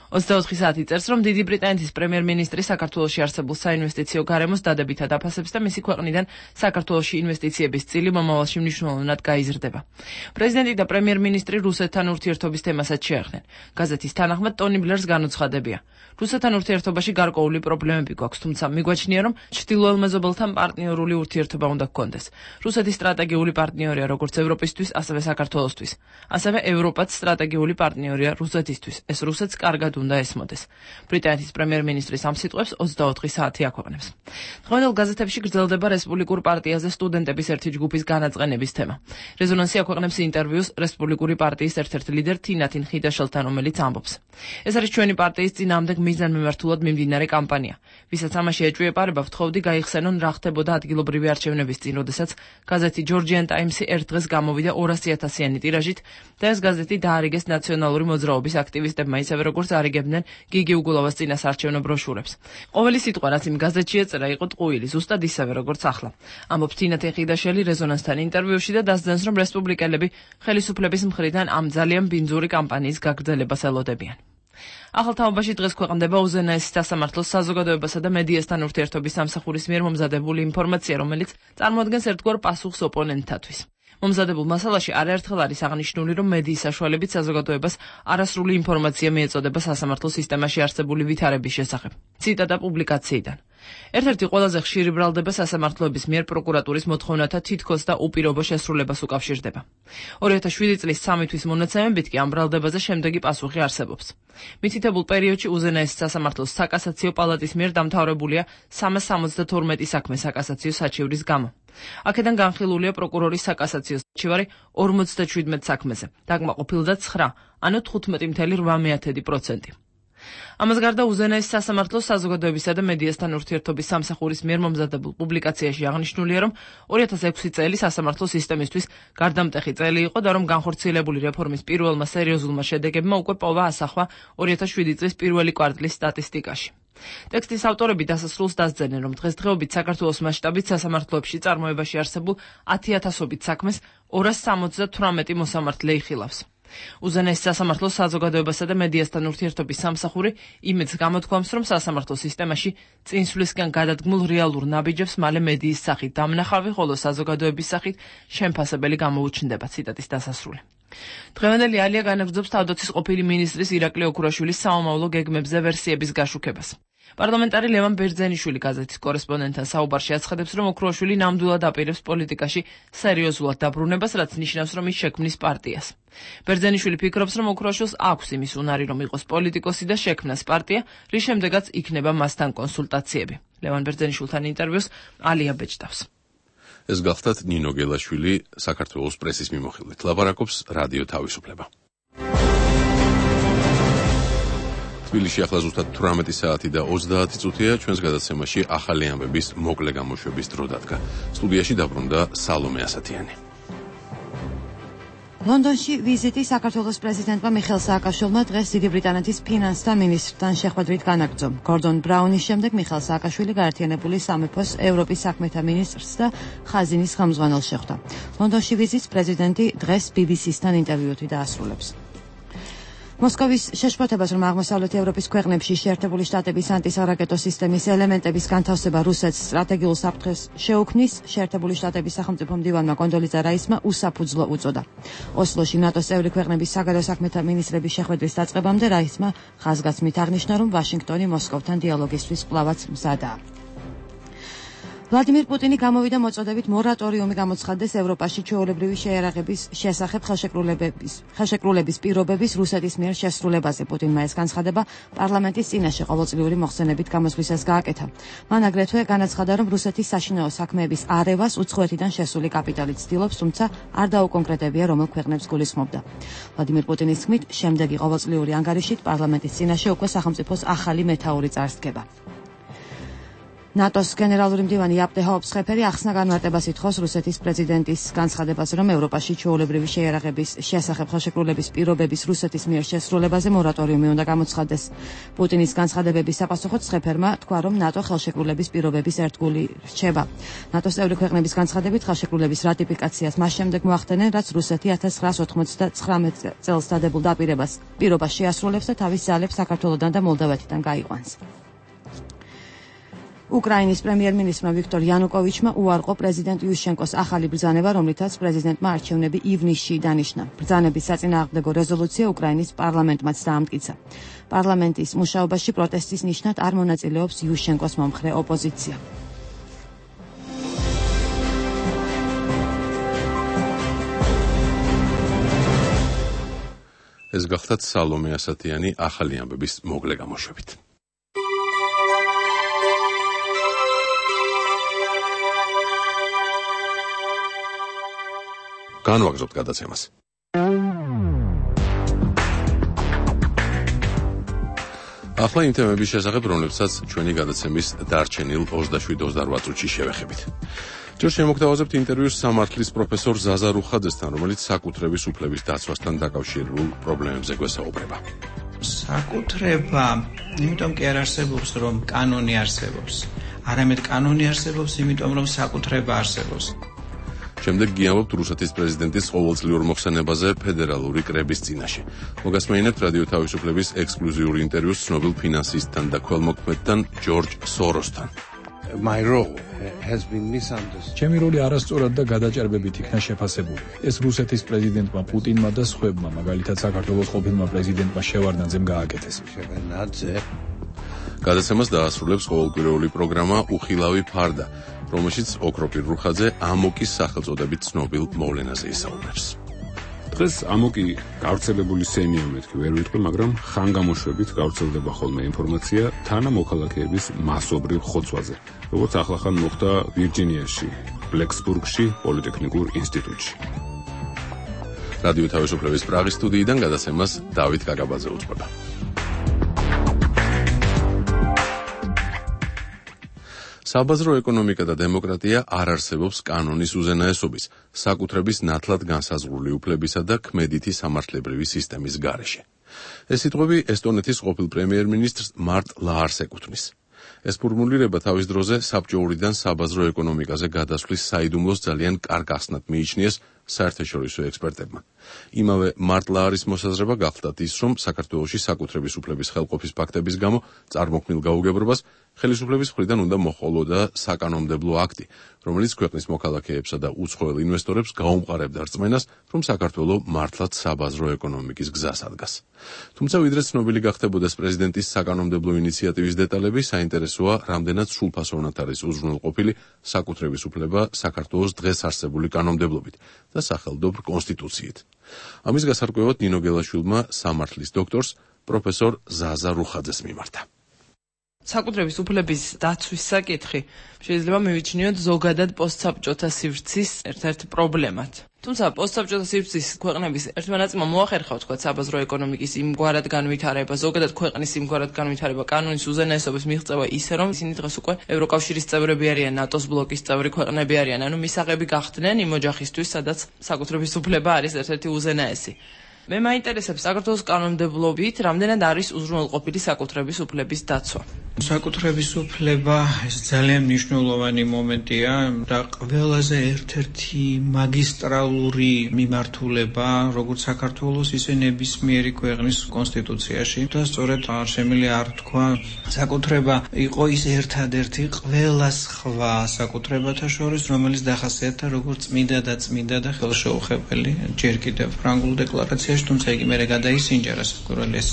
24 საათი წერს, რომ დიდი ბრიტანეთის პრემიერ-მინისტრი საქართველოში არსებულ საინვესტიციო გარემოს დადებითად აფასებს და მისი ქვეყნიდან საქართველოში ინვესტიციების წილი მომავალში მნიშვნელოვნად გაიზრდება. პრეზიდენტი და პრემიერ-მინისტრი რუსეთთან ურთიერთობის თემასაც შეეხნენ. გაზეთის თანახმად ტონი ბლერს განუცხადებია. რუსეთთან ურთიერთობაში გარკვეული პრობლემები გვაქვს, თუმცა მიგვაჩნია, რომ ჩრდილოელ მეზობელთან პარტნიორული ურთიერთობა უნდა გქონდეს. რუსეთი სტრატეგიული პარტნიორია როგორც ევროპისთვის, ასევე საქართველოსთვის. ასევე ევროპაც სტრატეგიული პარტნიორია რუსეთისთვის. ეს რუსეთს კარგად უნდა ესმოდეს. ბრიტანეთის პრემიერ-მინისტრის ამ სიტყვებს 24 საათი აქვეყნებს. დღევანდელ გაზეთებში გრძელდება რესპუბლიკურ პარტიაზე სტუდენტების ერთი ჯგუფის განაწყენების თემა. რეზონანსი აქვეყნებს ინტერვიუს რესპუბლიკური პარტიის ერთ-ერთ ლიდერ თინათინ ხიდაშელთან, რომელიც ამბობს: ეს არის ჩვენი პარტიის წინააღმდეგ მიზანმიმართულად მიმდინარე კამპანია. ვისაც ამაში ეჭვიეპარება, ვთხოვდი გაიხსენონ რა ხდებოდა ადგილობრივი არჩევნების წინ, როდესაც გაზეთი Georgian Times-ი ერთ დღეს გამოვიდა 200,000-იანი ტირაჟით და ეს გაზეთი დაარიგეს ნაციონალური მოძრაობის აქტივისტებმა, ისევე როგორც არიგებდნენ გიგი უგულავას წინასაარჩევნო ბროშურებს. ყოველი სიტყვა, რაც იმ გაზეთში ეწერა, იყო ტყუილი, ზუსტად ისევე როგორც ახლა. ამბობს თინათინ ხიდაშელი რეზონანსთან ინტერვიუში და დასძენს, რომ რესპუბლიკელები ხელისუფლების მხრიდან ამ ძალიან ბინძური კამპანიის გაგრძელებას ელოდებიან. ახალ თაობაში დღეს ქვეყნდება უზენაესი სასამართლოს საზოგადოებასა და მედიასთან ურთიერთობის სამსახურის მიერ მომზადებული ინფორმაცია, რომელიც წარმოადგენს ერთგვარ პასუხს ოპონენტთათვის. მომზადებულ მასალაში არაერთხელ არის აღნიშნული, რომ მედიის საშუალებით საზოგადოებას არასრული ინფორმაცია მიეწოდება სასამართლო სისტემაში არსებული ვითარების შესახებ. ციტატა პუბლიკაციიდან. ერთ-ერთი ყველაზე ხშირი ბრალდება სასამართლოების მიერ პროკურატურის მოთხოვნათა თითქოს და უპირობო შესრულებას უკავშირდება. 2007 წლის 3 თვის მონაცემებით კი ამ ბრალდებაზე შემდეგი პასუხი არსებობს. მითითებულ პერიოდში უზენაესი სასამართლოს საკასაციო პალატის მიერ დამთავრებულია 372 საქმე საკასაციო საჩივრის გამო. აქედან განხილულია პროკურორის საკასაციო საჩივარი 57 საქმეზე, დაკმაყოფილდა 9, ანუ 15.8%. ამას გარდა უზენაესი სასამართლოს საზოგადოებისა და მედიასთან ურთიერთობის სამსახურის მიერ მომზადებულ პუბლიკაციაში აღნიშნულია, რომ 2006 წელი სასამართლო სისტემისთვის გარდამტეხი წელი იყო და რომ განხორციელებული რეფორმის პირველმა სერიოზულმა შედეგებმა უკვე პოვა ასახვა 2007 წლის პირველი კვარტლის სტატისტიკაში. ტექსტის ავტორები დასასრულს დასძენენ, რომ დღესდღეობით საქართველოს მასშტაბით სასამართლოებში წარმოებაში არსებულ 10,000-ობით საქმეს 278 მოსამართლე იხილავს. უზენაესი სასამართლოს საზოგადოებასა და მედიასთან ურთიერთობის სამსახური იმედს გამოთქვამს, რომ სასამართლო სისტემაში წინსვლისგან გადადგმულ რეალურ ნაბიჯებს მალე მედიის სახით დამნახავი, ხოლო საზოგადოების სახით შემფასებელი გამოუჩნდება. ციტატის დასასრული. დღევანდელი ალია განაგრძობს თავდაცვის ყოფილი მინისტრის ირაკლი ოქურაშვილის საომავლო გეგმებზე ვერსიების გაშუქებას. პარლამენტარი ლევან ბერძენიშვილი გაზეთის კორესპონდენტთან საუბარში აცხადებს, რომ ოქრუაშვილი ნამდვილად აპირებს პოლიტიკაში სერიოზულად დაბრუნებას, რაც ნიშნავს, რომ ის შექმნის პარტიას. ბერძენიშვილი ფიქრობს, რომ ოქრუაშვილს აქვს იმის უნარი, რომ იყოს პოლიტიკოსი და შექმნას პარტია, რის შემდეგაც იქნება მასთან კონსულტაციები. ლევან ბერძენიშვილთან ინტერვიუს ალია ბეჭდავს. ეს გახლდათ ნინო გელაშვილი საქართველოს პრესის მიმოხილვით. ლაპარაკობს რადიო თავისუფლება. თბილისში ახლა ზუსტად 18 საათი და 30 წუთია. ჩვენს გადაცემაში ახალი ამბების მოკლე გამოშვების დრო დადგა. სტუდიაში დაბრუნდა სალომე ასათიანი. ლონდონში ვიზიტი საქართველოს პრეზიდენტმა მიხეილ სააკაშვილმა დღეს დიდი ბრიტანეთის ფინანსთა მინისტრთან შეხვედრით განაგრძო. გორდონ ბრაუნის შემდეგ მიხეილ სააკაშვილი გაერთიანებული სამეფოს ევროპის საქმეთა მინისტრს და ხაზინის ხელმძღვანელს შეხვდა. ლონდონში ვიზიტს პრეზიდენტი დღეს BBC-სთან ინტერვიუთი დაასრულებს. მოსკოვის შეშფოთებას, რომ აღმოსავლეთ ევროპის ქვეყნებში შეერთებული შტატების ანტისარაკეტო სისტემის ელემენტების განთავსება რუსეთს სტრატეგიულ საფრთხეს შეუქმნის, შეერთებული შტატების სახელმწიფო მდივანმა კონდოლიზა რაისმა უსაფუძვლო უწოდა. ოსლოში ნატოს წევრი ქვეყნების საგარეო საქმეთა მინისტრების შეხვედრის დაწყებამდე რაისმა ხაზგასმით აღნიშნა, რომ ვაშინგტონი მოსკოვთან დიალოგისთვის კვლავაც მზადაა. ვლადიმირ პუტინი გამოვიდა მოწოდებით მორატორიუმი გამოცხადდეს ევროპაში ჩვეულებრივი შეიარაღების შესახებ ხელშეკრულების პირობების რუსეთის მიერ შესრულებაზე. პუტინმა ეს განცხადება პარლამენტის წინაშე ყოველწლიური მოხსენებით გამოსვლისას გააკეთა. მან აგრეთვე განაცხადა, რომ რუსეთის საშინაო საქმეების არევას უცხოეთიდან შესული კაპიტალი ცდილობს, თუმცა არ დაუკონკრეტებია, რომელ ქვეყნებს გულისხმობდა. ვლადიმირ პუტინის თქმით, შემდეგი ყოველწლიური ანგარიშით პარლამენტის წინაშე უკვე სახელმწიფოს ახალი მეთაური წარსდგება. ნატოს გენერალური მდივანი იაპტე ჰაუპსხეფერი ახსნა განმარტებას ითხოვს რუსეთის პრეზიდენტის განცხადებას, რომ ევროპაში ჩვეულებრივი შეიარაღების შესახებ ხელშეკრულების პირობების რუსეთის მიერ შესრულებაზე მორატორიუმი უნდა გამოცხადდეს. პუტინის განცხადებების საპასუხოდ სხეფერმა თქვა, რომ ნატო ხელშეკრულების პირობების ერთგული რჩება. ნატოს წევრი ქვეყნების განცხადებით ხელშეკრულების რატიფიკაციას მას შემდეგ მოახდენენ, რაც რუსეთი 1999 წელს დადებულ პირობას შეასრულებს და თავის ძალებს საქართველოდან და მოლდავეთიდან გაიყვანს. უკრაინის პრემიერ-მინისტრმა ვიქტორ იანუკოვიჩმა უარყო პრეზიდენტ იუშენკოს ახალი ბრძანება, რომლითაც პრეზიდენტმა არჩევნები ივნისში დანიშნა. ბრძანების საწინააღმდეგო რეზოლუცია უკრაინის პარლამენტმაც დაამტკიცა. პარლამენტის მუშაობაში პროტესტის ნიშნად არ მონაწილეობს იუშენკოს მომხრე ოპოზიცია. ეს გახლდათ სალომე ასათიანი ახალი ამბების მოკლე გამოშვებით. განვაგრძობთ გადაცემას. ახლა იმ თემების შესახებ, რომლებსაც ჩვენი გადაცემის დარჩენილ 27-28 წუთში შევეხებით. ჯერ შემოგთავაზებთ ინტერვიუს სამართლის პროფესორ ზაზა რუხაძესთან, რომელიც საკუთრების უფლების დაცვასთან დაკავშირებულ პრობლემებზე გვესაუბრება. საკუთრება, იმიტომ კი არ არსებობს, რომ კანონი არსებობს. არამედ კანონი არსებობს, იმიტომ რომ საკუთრება არსებობს. შემდეგ გიამბობთ რუსეთის პრეზიდენტის ყოველწლიურ მოხსენებაზე ფედერალური კრების წინაშე. მოგასმენინებთ რადიო თავისუფლების ექსკლუზიური ინტერვიუს ცნობილ ფინანსისტთან და ქველმოქმედთან ჯორჯ სოროსთან. My role has been misunderstood. ჩემი როლი არასწორად და გადაჭარბებით იქნა შეფასებული. ეს რუსეთის პრეზიდენტმა პუტინმა და სხვებმა, მაგალითად საქართველოს ყოფილმა პრეზიდენტმა შევარდნაძემ გააკეთეს. გადაცემას დაასრულებს ყოველკვირეული პროგრამა უხილავი ფარდა, რომელშიც ოქროპირ რუხაძე ამოკის სახელწოდებით ცნობილ მოვლენაზე ისაუბრებს. დღეს ამოკი გავრცელებული სენია მეთქი ვერ ვიტყვი, მაგრამ ხანგამოშვებით გავრცელდება ხოლმე ინფორმაცია თანამოქალაქეების მასობრივ ხოცვაზე, როგორც ახლახან მოხდა ვირჯინიაში, ბლექსბურგში, პოლიტექნიკურ ინსტიტუტში. რადიო თავისუფლების პრაღის სტუდიიდან გადაცემას დავით გაგაბაძე უძღვება. საბაზრო ეკონომიკა და დემოკრატია არ არსებობს კანონის უზენაესობის, საკუთრების ნათლად განსაზღვრული უფლებისა და ქმედითი სამართლებრივი სისტემის გარეშე. ეს სიტყვები ესტონეთის ყოფილ პრემიერ-მინისტრს მარტ ლაარს ეკუთვნის. ეს ფორმულირება თავის დროზე საბჭოურიდან საბაზრო ეკონომიკაზე გადასვლის საიდუმლოს ძალიან კარგ ახსნად მიიჩნიეს საერთაშორისო ექსპერტებმა. იმავე მარტლა არის მოსაზრება გახლდათ ის, რომ საქართველოში საკუთრების უფლების ხელყოფის ფაქტების გამო წარმოქმნილ გაუგებრობას ხელისუფლების მხრიდან უნდა მოჰყოლოდა საკანონმდებლო აქტი, რომელიც ქვეყნის მოქალაქეებსა და უცხოელ ინვესტორებს გაუმყარებდა რწმენას, რომ საქართველო მართლაც საბაზრო ეკონომიკის გზას ადგას. თუმცა ვიდრე ცნობილი გახდებოდეს პრეზიდენტის საკანონმდებლო ინიციატივის დეტალები, საინტერესოა, რამდენად სრულფასოვნად არის უზრუნველყოფილი საკუთრების უფლება საქართველოს დღეს არსებული კანონმდებლობით და სახელმწიფო კონსტიტუციით. ამის გასარკვევად ნინო გელაშვილმა სამართლის დოქტორს პროფესორ ზაზა რუხაძეს მიმართა. საკუთრების უფლების დაცვის საკითხი შეიძლება მივიჩნიოთ ზოგადად პოსტსაბჭოთა სივრცის ერთ-ერთ პრობლემად. თუმცა პოსტსაბჭოთა სივრცის ქვეყნების ერთმა ნაწილმა მოახერხა თქვა საბაზრო ეკონომიკის იმგვარად განვითარება, ზოგადად ქვეყნის იმგვარად განვითარება კანონის უზენაესობის მიღწევა ისე, რომ ისინი დღეს უკვე ევროკავშირის წევრები არიან, ნატოს ბლოკის წევრი ქვეყნები არიან, ანუ მისაღები გახდნენ იმ ოჯახისთვის, სადაც საკუთრების უფლება არის ერთ-ერთი უზენაესი. მე მაინტერესებს საქართველოს კანონმდებლობით რამდენად არის უზრუნველყოფილი საკუთრების უფლების დაცვა. საკუთრების უფლება ეს ძალიან მნიშვნელოვანი მომენტია და ყველაზე ერთ-ერთი მაგისტრალური მიმართულება როგორც საქართველოს, ისე ნებისმიერი ქვეყნის კონსტიტუციაში და სწორედ არ შემიძლია არ თქვა საკუთრება იყო ის ერთადერთი ყველა სხვა საკუთრებათა შორის, რომელიც დახასიათდა როგორც წმინდა და ხელშეუხებელი ჯერ კიდევ ფრანგულ დეკლარაციაში, თუმცა იგი მერე გადაისინჯა რასაკვირველია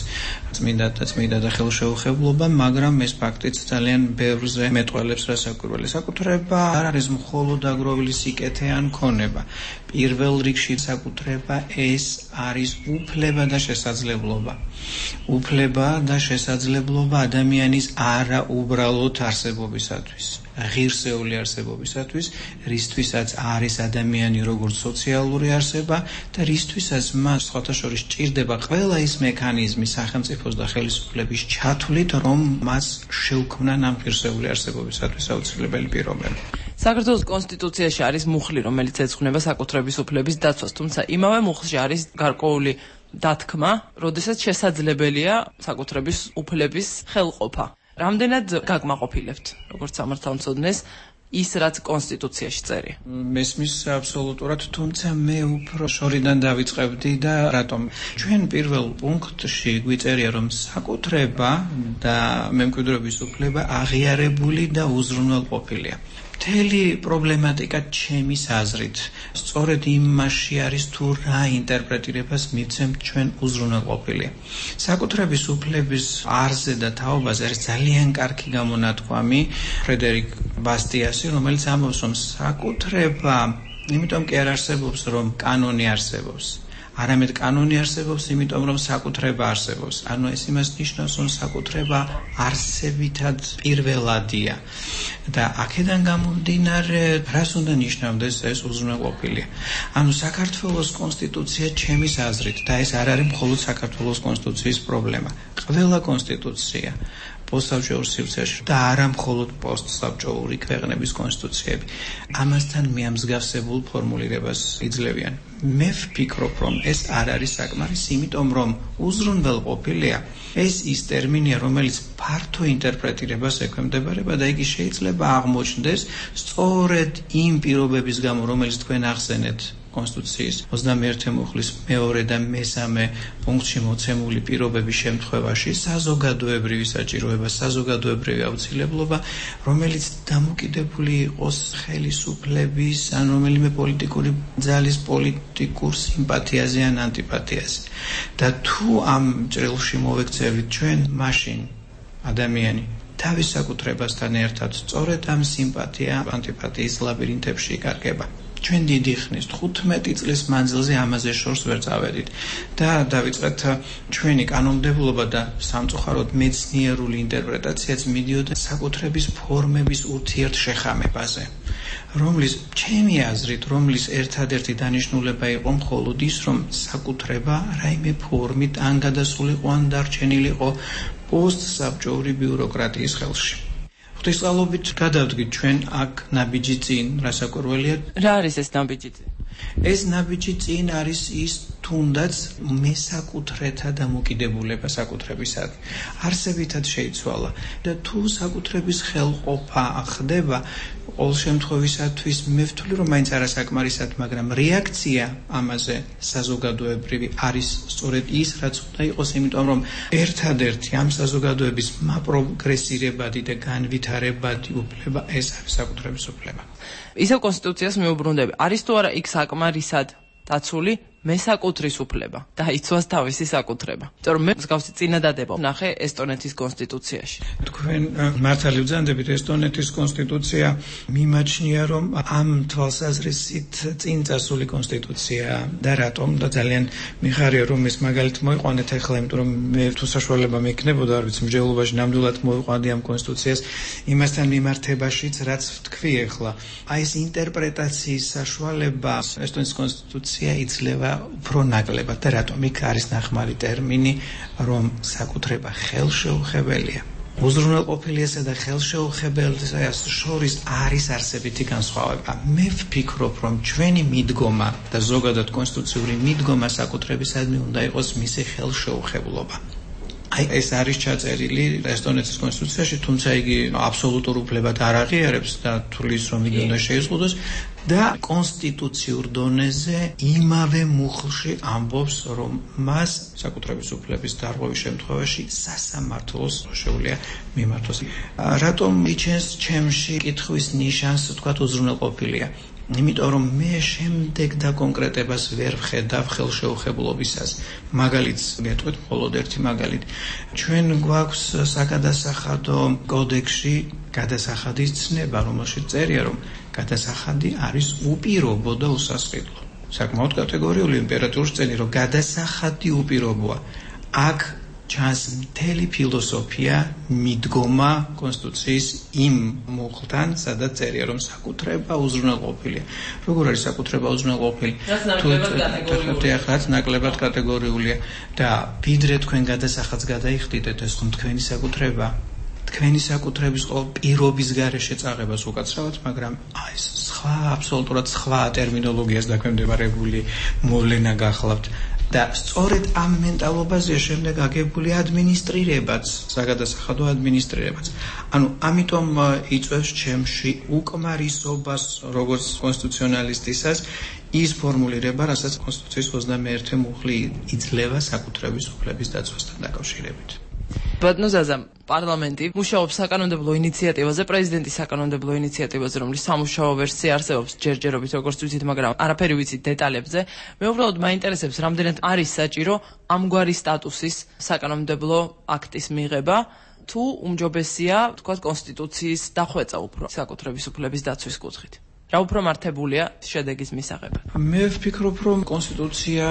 წმინდა და ხელშეუხებლობა, მაგრამ ეს ფაქტიც ძალიან ბევრზე მეტყველებს რასაკვირველია. საკუთრება არ არის მხოლოდ აგროვილი სიკეთე ან ქონება. პირველ რიგში საკუთრება ეს არის უფლება და შესაძლებლობა. უფლება და შესაძლებლობა ადამიანის არაუბრალოდ არსებობისათვის. ღირსეული არსებობისათვის, რისთვისაც არის ადამიანი როგორც სოციალური არსება და რისთვისაც მას სხვათა შორის ჭირდება ყველა ის მექანიზმი სახელმწიფოს და ხელისუფლების ჩათვლით, რომ მას შეუქმნან ამ ღირსეული არსებობისათვის აუცილებელი პირობები. საქართველოს კონსტიტუციაში არის მუხლი, რომელიც ეძღვნება საკუთრების უფლების დაცვას, თუმცა იმავე მუხლში არის გარკვეული დათქმა, როდესაც შესაძლებელია საკუთრების უფლების ხელყოფა. რამდენად გაგმაყოფილებთ, როგორც სამართალმცოდნეს, ის რაც კონსტიტუციაში წერია? მესმის აბსოლუტურად, თუმცა მე უფრო შორიდან დავიწყებდი და რატომ? ჩვენ პირველ პუნქტში გვიწერია, რომ საკუთრება და მემკვიდრეობის უფლება აღიარებული და უზრუნველყოფილია. მთელი პრობლემატიკა ჩემის აზრით სწორედ იმაში არის თუ რა ინტერპრეტირებას მიცემთ ჩვენ უზრუნველყოფილია. საკუთრების უფლების არზე და თაობაზე არის ძალიან კარგი გამონათქვამი ფრედერიკ ბასტიასი, რომელიც ამბობს, რომ საკუთრება იმიტომ კი არ არსებობს, რომ კანონი არსებობს. არამედ კანონი არსებობს, იმიტომ რომ საკუთრება არსებობს. ანუ ეს იმას ნიშნავს, რომ საკუთრება არსებითად პირველადია. და აქედან გამომდინარე, რას უნდა ნიშნავდეს ეს უზრუნველყოფილია? ანუ საქართველოს კონსტიტუცია ჩემის აზრით, და ეს არ არის მხოლოდ საქართველოს კონსტიტუციის პრობლემა. ყველა კონსტიტუცია პოსტსაბჭოურ სივრცეში და არა მხოლოდ პოსტსაბჭოური ქვეყნების კონსტიტუციები ამასთან მიამსგავსებულ ფორმულირებას იძლევიან. მე ვფიქრობ, რომ ეს არ არის საკმარისი, იმიტომ რომ უზრუნველყოფილია ეს ის ტერმინია, რომელიც ფართო ინტერპრეტირებას ექვემდებარება და იგი შეიძლება აღმოჩნდეს სწორედ იმ პირობების გამო, რომელიც თქვენ ახსენეთ კონსტიტუციის 21 მუხლის მეორე და მესამე პუნქტში მოცემული პირობების შემთხვევაში საზოგადოებრივი საჭიროება, საზოგადოებრივი აუცილებლობა, რომელიც დამოკიდებული იყოს ხელისუფლების ან რომელიმე პოლიტიკური ძალის პოლიტიკურ სიმპათიაზე ან ანტიპათიაზე. და თუ ამ ჭრილში მოვექცევით ჩვენ, მაშინ ადამიანი თავის საკუთრებასთან ერთად სწორედ ამ სიმპათია, ანტიპათიის ლაბირინთებში იკარგება. ჩვენ დიდი ხნის 15 წლის მანძილზე ამაზე შორს ვერ წავედით და დავიწყეთ ჩვენი კანონმდებლობა და სამწუხაროდ მეცნიერული ინტერპრეტაციაც მიდიოდა საკუთრების ფორმების ურთიერთშეხამებაზე, რომლის ჩემი აზრით, რომლის ერთადერთი დანიშნულება იყო მხოლოდ ის, რომ საკუთრება რაიმე ფორმით ან გადასულიყო ან დარჩენილიყო პოსტსაბჭოური ბიუროკრატიის ხელში. ღვთისმსალობით გადავდგით ჩვენ აქ ნაბიჯი წინ, რასაკვირველია. რა არის ეს ნაბიჯი წინ? ეს ნაბიჯი წინ არის ის თუნდაც მესაკუთრეთა დამოკიდებულება საკუთრებისადმი არსებითად შეიცვალა და თუ საკუთრების ხელყოფა ხდება ყოველ შემთხვევისათვის მე ვთვლი რომ მაინც არასაკმარისად, მაგრამ რეაქცია ამაზე საზოგადოებრივი არის სწორედ ის, რაც უნდა იყოს, იმიტომ რომ ერთადერთი ამ საზოგადოების მაპროგრესირებადი და განვითარებადი უფლება ეს არის საკუთრების უფლება. ისევ კონსტიტუციას მიუბრუნდები. არის თუ არა იქ საკმარისად დაცული მესაკუთრის უფლება და იცვას თავისი საკუთრება. იმიტომ რომ მე მსგავსი წინადადება ვნახე ესტონეთის კონსტიტუციაში. თქვენ მართალი ვძანდებით, ესტონეთის კონსტიტუცია მიმაჩნია რომ ამ თვალსაზრისით წინ წასული კონსტიტუცია და რატომ და ძალიან მიხარია რომ ეს მაგალითად მოიყვანეთ ახლა, იმიტომ რომ მე თუ საშუალება მექნებოდა, არ ვიცი, მსჯელობაში ნამდვილად მოიყვანდი ამ კონსტიტუციას იმასთან მიმართებაშიც, რაც ვთქვი ახლა. აი ეს ინტერპრეტაციის საშუალება ესტონეთის კონსტიტუცია იძლევა უფრო ნაკლებად და რატომ იქ არის ნახმარი ტერმინი რომ საკუთრება ხელშეუხებელია. უზრუნველყოფილიასა და ხელშეუხებელს შორის არის არსებითი განსხვავება. მე ვფიქრობ რომ ჩვენი მიდგომა და ზოგადად კონსტიტუციური მიდგომა საკუთრებისადმი უნდა იყოს მისი ხელშეუხებლობა. აი ეს არის ჩაწერილი ესტონეთის კონსტიტუციაში, თუმცა იგი აბსოლუტურ უფლებად არ აღიარებს და თulis რომ იგი უნდა შეიზღუდოს და კონსტიტუციურ დონეზე იმავე მუხლში ამბობს რომ მას საკუთრების უფლების დარღვევის შემთხვევაში სასამართლოს შეუძლია მიმართოს. რატომ იჩენს ჩემში კითხვის ნიშანს თქვათ უზრუნველყოფილია? იმიტომ რომ მე შემდეგ და კონკრეტებას ვერ ვხედავ ხელშეუხებლობისას. მაგალითს მეთქვით მხოლოდ ერთი მაგალითი. ჩვენ გვაქვს საგადასახადო კოდექსში გადასახადის ცნება, რომელშიც წერია რომ გადასახადი არის უპირობო და უსასყიდლო. საკმაოდ კატეგორიული იმპერატორის წელი რომ გადასახადი უპირობოა. აქ ჩანს მთელი ფილოსოფია, მიდგომა კონსტიტუციის იმ მუხლთან, სადაც წერია რომ საკუთრება უზრუნველყოფილია. როგორ არის საკუთრება უზრუნველყოფილი? რაც ნაკლებად კატეგორიულია და ვიდრე თქვენ გადასახადს გადაიხდიდეთ, ეს ხომ თქვენი საკუთრება. თქვენი საკუთრების ყოველ პირობის გარეშე წაღებას უკაცრავად, მაგრამ ეს სხვა აბსოლუტურად სხვა ტერმინოლოგიას დაქვემდებარებული მოვლენა გახლავთ. და სწორედ ამ მენტალობაზეა შემდეგ აგებული ადმინისტრირებაც, საგადასახადო ადმინისტრირებაც. ანუ ამიტომ იწვევს ჩემში უკმარისობას როგორც კონსტიტუციონალისტისას ის ფორმულირება, რასაც კონსტიტუციის 21 მუხლი იძლევა საკუთრების უფლების დაცვასთან დაკავშირებით. ბატონო ზაზა, პარლამენტი მუშაობს საკანონმდებლო ინიციატივაზე, პრეზიდენტის საკანონმდებლო ინიციატივაზე, რომლის სამუშაო ვერსია არსებობს ჯერჯერობით, როგორც ვიცით, მაგრამ არაფერი ვიცით დეტალებზე. მე უბრალოდ მაინტერესებს, რამდენად არის საჭირო ამგვარი სტატუსის საკანონმდებლო აქტის მიღება, თუ უმჯობესია, თქვათ, კონსტიტუციის დახვეწა უფრო საკუთრების უფლების დაცვის კუთხით. რა უფრო მართებულია შედეგის მისაღებად? მე ვფიქრობ, რომ კონსტიტუცია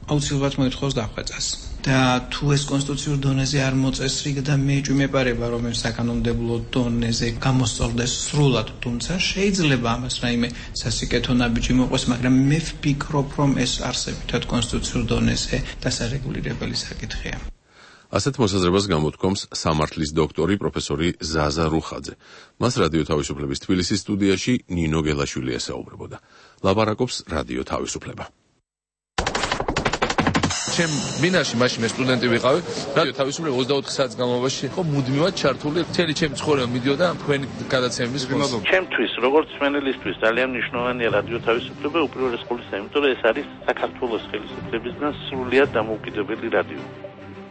აუცილებლად მოითხოვს დახვეწას. და თუ ეს კონსტიტუციურ დონეზე არ მოწესრიგ და მე ჭვიმეპარება რომ ეს საკანონმდებლო დონეზე გამოსწორდეს სრულად, თუმცა შეიძლება ამას რაიმე სასიკეთო ნაბიჯი მოყვეს, მაგრამ მე ვფიქრობ რომ ეს არსებითად კონსტიტუციურ დონეზე დასარეგულირებელი საკითხია. ასეთ მოსაზრებას გამოთქვამს სამართლის დოქტორი პროფესორი ზაზა რუხაძე. მას რადიო თავისუფლების თბილისის სტუდიაში ნინო გელაშვილი ესაუბრებოდა. ლაპარაკობს რადიო თავისუფლება. ჩემ მინაში მაშინ მე სტუდენტი ვიყავი, რადიო თავისუფლება 24 საათის განმავლობაში იყო მუდმივად ჩართული, მთელი ჩემი ცხოვრება მიდიოდა თქვენი გადაცემების ფონზე. ჩემთვის, როგორც მენელისთვის, ძალიან მნიშვნელოვანია რადიო თავისუფლება უპირველეს ყოვლისა, იმიტომ რომ ეს არის საქართველოს ხელისუფლებისგან სრულიად დამოუკიდებელი რადიო.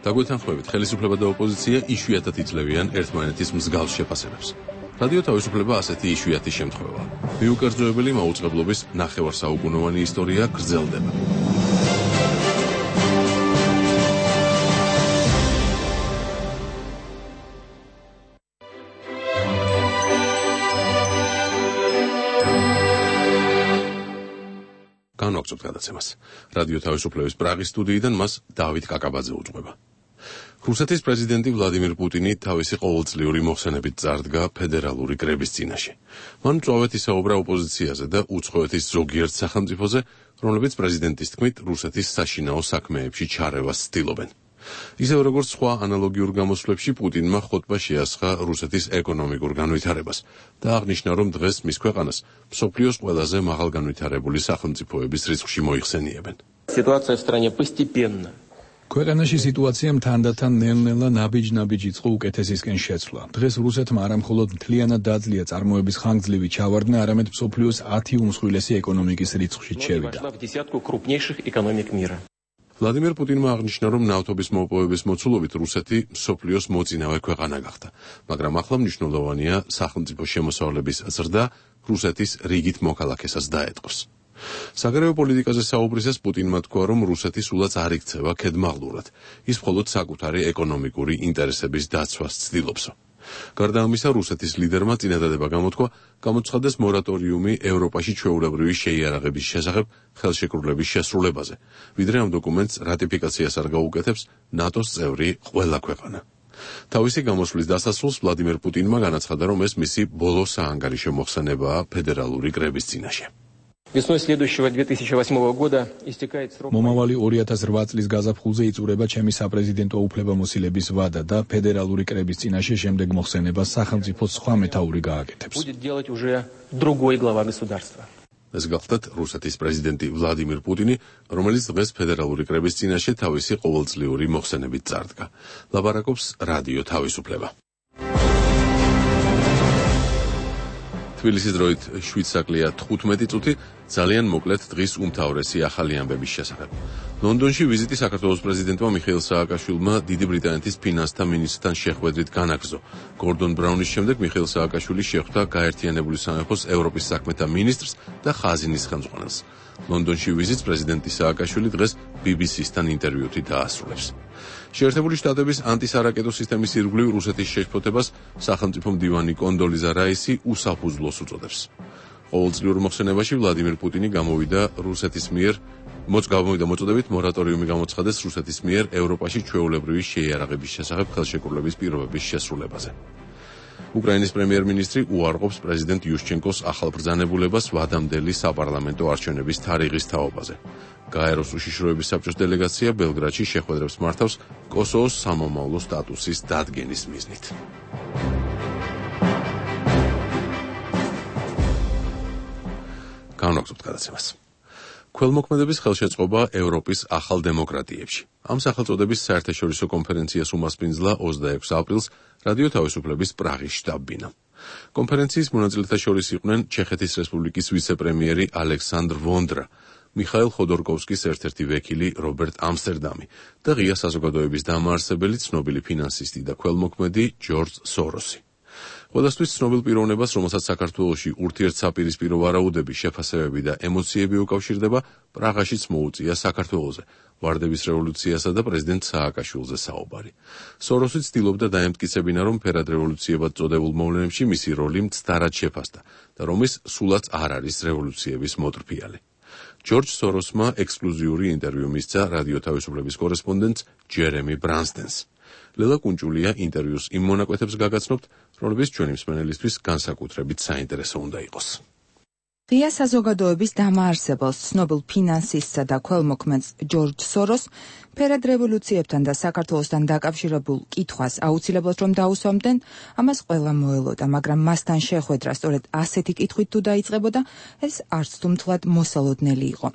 დაგვეთანხმებით, ხელისუფლება და ოპოზიცია იშვიათად იძლევიან ერთმანეთის მსგავს შეფასებებს. რადიო თავისუფლება ასეთი იშვიათი შემთხვევაა. მიუკერძოებელი მაუწყებლობის ნახევარსაუკუნოვანი ისტორია გრძელდება. განვაგრძობთ გადაცემას. რადიო თავისუფლების პრაღის სტუდიიდან მას დავით კაკაბაძე უძღვება. რუსეთის პრეზიდენტი ვლადიმირ პუტინი თავისი ყოველწლიური მოხსენებით წარდგა ფედერალური კრების წინაშე. მან მწვავედ ისაუბრა ოპოზიციაზე და უცხოეთის ზოგიერთ სახელმწიფოზე, რომლებიც პრეზიდენტის თქმით რუსეთის საშინაო საქმეებში ჩარევას ცდილობენ. ისევ როგორც სხვა ანალოგიურ გამოსვლებში პუტინმა ხოტბა შეასხა რუსეთის ეკონომიკურ განვითარებას და აღნიშნა, რომ დღეს მის ქვეყანას მსოფლიოს ყველაზე მაღალგანვითარებული სახელმწიფოების რიცხვში მოიხსენიებენ. Ситуация в стране постепенно. ქვეყანაში სიტუაციამ თანდათან ნელ-ნელა ნაბიჯ-ნაბიჯ იწყო უკეთესისკენ შეცვლა. დღეს რუსეთმა არა მხოლოდ მთლიანად დაძლია წარმოების ხანგრძლივი ჩავარდნა, არამედ მსოფლიოს 10 უმსხვილესი ეკონომიკის რიცხვში შევიდა. ვლადიმერ პუტინმა აღნიშნა, რომ ნავთობის მოპოვების მოცულობით რუსეთი მსოფლიოს მოწინავე ქვეყანა გახდა, მაგრამ ახლა მნიშვნელოვანია სახელმწიფო შემოსავლების ზრდა რუსეთის რიგით მოქალაქესაც დაეტყოს. საგარეო პოლიტიკაზე საუბრისას პუტინმა თქვა, რომ რუსეთი სულაც არ იქცევა ქედმაღლურად, ის მხოლოდ საკუთარი ეკონომიკური ინტერესების დაცვას ცდილობსო. გარდა ამისა, რუსეთის ლიდერმა წინადადება გამოთქვა, გამოცხადდეს მორატორიუმი ევროპაში ჩვეულებრივი შეიარაღების შესახებ ხელშეკრულების შესრულებაზე, ვიდრე ამ დოკუმენტს რატიფიკაციას არ გაუკეთებს ნატოს წევრი ყველა ქვეყანა. თავისი გამოსვლის დასასრულს ვლადიმერ პუტინმა განაცხადა, რომ ეს მისი ბოლო საანგარიშო მოხსენებაა ფედერალური კრების წინაშე. Весной следующего 2008 года истекает срок. მომავალი 2008 წლის გაზაფხულზე იწურება ჩემი საპრეზიდენტო უფლებამოსილების ვადა და ფედერალური კრების წინაშე შემდეგ მოხსენებას სახელმწიფო სხვა მეთაური გააკეთებს. Будет делать уже другой глава государства. ეს გახლდათ რუსეთის პრეზიდენტი ვლადიმირ პუტინი, რომელიც დღეს ფედერალური კრების წინაშე თავისი ყოველწლიური მოხსენებით წარდგა. ლაპარაკობს რადიო თავისუფლება. თბილისის დროით 7 საკლია 15 წუთი, ძალიან მოკლედ დღის უმთავრესი ახალი ამბების შესახებ. ლონდონში ვიზიტი საქართველოს პრეზიდენტმა მიხეილ სააკაშვილმა დიდი ბრიტანეთის ფინანსთა მინისტრთან შეხვედრით განაგრძო. გორდონ ბრაუნის შემდეგ მიხეილ სააკაშვილი შეხვდა გაერთიანებული სამეფოს ევროპის საქმეთა მინისტრს და ხაზინის ხელმძღვანელს. ლონდონში ვიზიტს პრეზიდენტი სააკაშვილი დღეს BBC-სთან ინტერვიუთი დაასრულებს. შეერთებული შტატების ანტისარაკეტო სისტემის ირგვლივ რუსეთის შეშფოთებას სახელმწიფო მდივანი კონდოლიზა რაისი უსაფუძვლოს უწოდებს. ყოველწლიურ მოხსენებაში ვლადიმერ პუტინი გამოვიდა მოწოდებით მორატორიუმი გამოცხადეს რუსეთის მიერ ევროპაში ჩვეულებრივი შეიარაღების შესახებ ხელშეკრულების პირობების შესრულებაზე. უკრაინის პრემიერ-მინისტრი უარყოფს პრეზიდენტ იუშჩენკოს ახალ ბრძანებულებას ვადამდელი საპარლამენტო არჩევნების თარიღის თაობაზე. გაეროს უშიშროების საბჭოს დელეგაცია ბელგრადში შეხვედრებს მართავს კოსოვოს სამომავლო სტატუსის დადგენის მიზნით. განვაგრძობთ გადაცემას. ქველმოქმედების ხელშეწყობა ევროპის ახალ დემოკრატიებში. ამ სახელწოდების საერთაშორისო კონფერენციას უმასპინძლა 26 აპრილს რადიო თავისუფლების პრაღის შტაბ-ბინა. კონფერენციის მონაწილეთა შორის იყვნენ ჩეხეთის რესპუბლიკის ვიცე-პრემიერი ალექსანდრ ვონდრა, მიხაილ ხოდორკოვსკის ერთ-ერთი ვექილი რობერტ ამსტერდამი და ღია საზოგადოების დამაარსებელი ცნობილი ფინანსისტი და ქველმოქმედი ჯორჯ სოროსი. ყველასთვის ცნობილ პიროვნებას, რომელსაც საქართველოში ურთიერთსაპირისპირო ვარაუდები, შეფასებები და ემოციები უკავშირდება, პრაღაშიც მოუწია საქართველოზე, ვარდების რევოლუციასა და პრეზიდენტ სააკაშვილზე საუბარი. სოროსი ცდილობდა დაემტკიცებინა, რომ ფერად რევოლუციებად წოდებულ მოვლენებში მისი როლი მცდარად შეფასდა და რომ ის სულაც არ არის რევოლუციების მოტრფიალი. ჯორჯ სოროსმა ექსკლუზიური ინტერვიუ მისცა რადიო თავისუფლების კორესპონდენტს ჯერემი ბრანსდენს. ლელა კუნჭულია ინტერვიუს იმ მონაკვეთებს გაგაცნობთ, რომლებიც ჩვენი მსმენელისთვის განსაკუთრებით საინტერესო უნდა იყოს. ღია საზოგადოების დამაარსებელს, ცნობილ ფინანსისტსა და ქველმოქმედს ჯორჯ სოროს ფერად რევოლუციებთან და საქართველოსთან დაკავშირებულ კითხვას აუცილებლად რომ დაუსვამდნენ, ამას ყველა მოელოდა, მაგრამ მასთან შეხვედრა სწორედ ასეთი კითხვით თუ დაიწყებოდა, ეს არც თუ მთლად მოსალოდნელი იყო.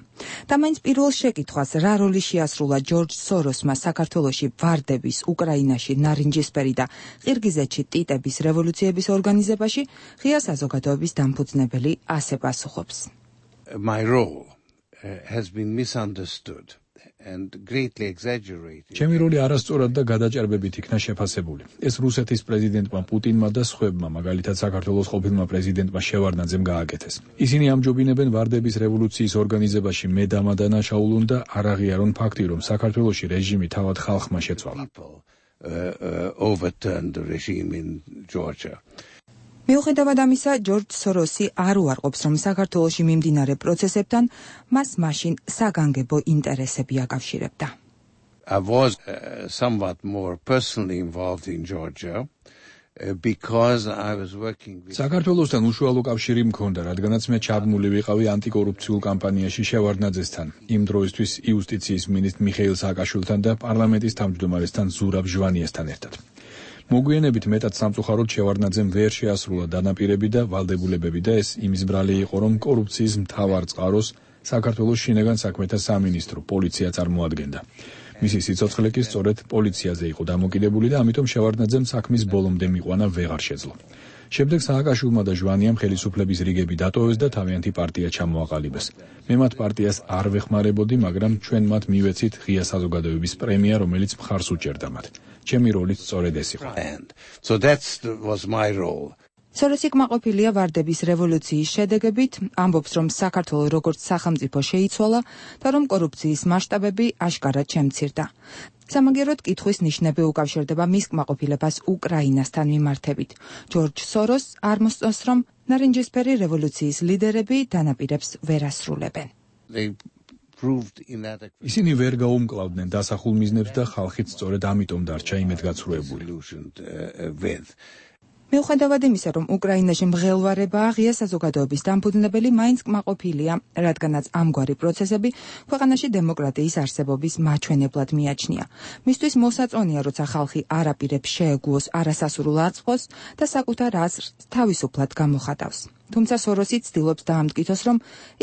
და მაინც პირველ შეკითხვას, რა როლი შეასრულა ჯორჯ სოროსმა საქართველოში ვარდების, უკრაინაში ნარინჯისფერი და ყირგიზეთში ტიტების რევოლუციების ორგანიზებაში, ღია საზოგადოების დამფუძნებელი ასე პასუხობს. My role has been misunderstood and greatly exaggerated. ჩემი როლი არასწორად და გადაჭარბებით იქნა შეფასებული. ეს რუსეთის პრეზიდენტმა პუტინმა და სხვებმა, მაგალითად საქართველოს ყოფილმა პრეზიდენტმა შევარდნაძემ გააკეთეს. ისინი ამჯობინებენ ვარდების რევოლუციის ორგანიზებაში მედამა დანაშაულონ და არ აღიარონ ფაქტი, რომ საქართველოში რეჟიმი თავად ხალხმა შეცვალა. Overturned the regime in Georgia. მიუხედავად ამისა, ჯორჯ სოროსი არ უარყოფს, რომ საქართველოში მიმდინარე პროცესებთან მას მაშინ საგანგებო ინტერესები აკავშირებდა. I was somewhat more personally involved in Georgia because I was working with საქართველოსთან უშუალო კავშირი მქონდა, რადგანაც მე ჩაბმული ვიყავი ანტიკორუფციულ კამპანიაში შევარდნაძესთან, იმ დროისთვის იუსტიციის მინისტრ მიხეილ სააკაშვილთან და პარლამენტის თავმჯდომარესთან ზურაბ ჟვანიესთან ერთად. მოგვიანებით მეტად სამწუხაროდ შევარდნაძემ ვერ შეასრულა დანაპირები და ვალდებულებები და ეს იმის ბრალი იყო, რომ კორუფციის მთავარ წყაროს საქართველოს შინაგან საქმეთა სამინისტრო, პოლიცია წარმოადგენდა. მისი სიცოცხლე კი სწორედ პოლიციაზე იყო დამოკიდებული და ამიტომ შევარდნაძემ საქმის ბოლომდე მიყვანა ვეღარ შეძლო. შემდეგ სააკაშვილმა და ჟვანიამ ხელისუფლების რიგები დატოვეს და თავიანთი პარტია ჩამოაყალიბეს. მე მათ პარტიას არ ვეხმარებოდი, მაგრამ ჩვენ მათ მივეცით ღია საზოგადოების პრემია, რომელიც მხარს უჭერდა მათ. ჩემი როლიც სწორედ ეს იყო. So that was my role. სოროსი კმაყოფილია ვარდების რევოლუციის შედეგებით, ამბობს, რომ საქართველოს როგორც სახელმწიფო შეიცვალა და რომ კორუფციის მასშტაბები აშკარად შემცირდა. სამაგიეროდ კითხვის ნიშნები უკავშირდება მის კმაყოფილებას უკრაინასთან მიმართებით. ჯორჯ სოროს არ მოსწონს, რომ ნარინჯისფერი რევოლუციის ლიდერები დანაპირებს ვერ ასრულებენ. ისინი ვერ გაუმკლავდნენ დასახულ მიზნებს და ხალხიც სწორედ ამიტომ დარჩა იმედგაცრუებული. მიუხედავად იმისა, რომ უკრაინაში მღელვარებაა ღია საზოგადოების დამფუძნებელი, მაინც კმაყოფილია, რადგანაც ამგვარი პროცესები ქვეყანაში დემოკრატიის არსებობის მაჩვენებლად მიაჩნია. მისთვის მოსაწონია, როცა ხალხი არ აპირებს შეეგუოს არასასურულ აწმყოს და საკუთარ აზრს თავისუფლად გამოხატავს. თუმცა სოროსი ცდილობს დაამტკიცოს, რომ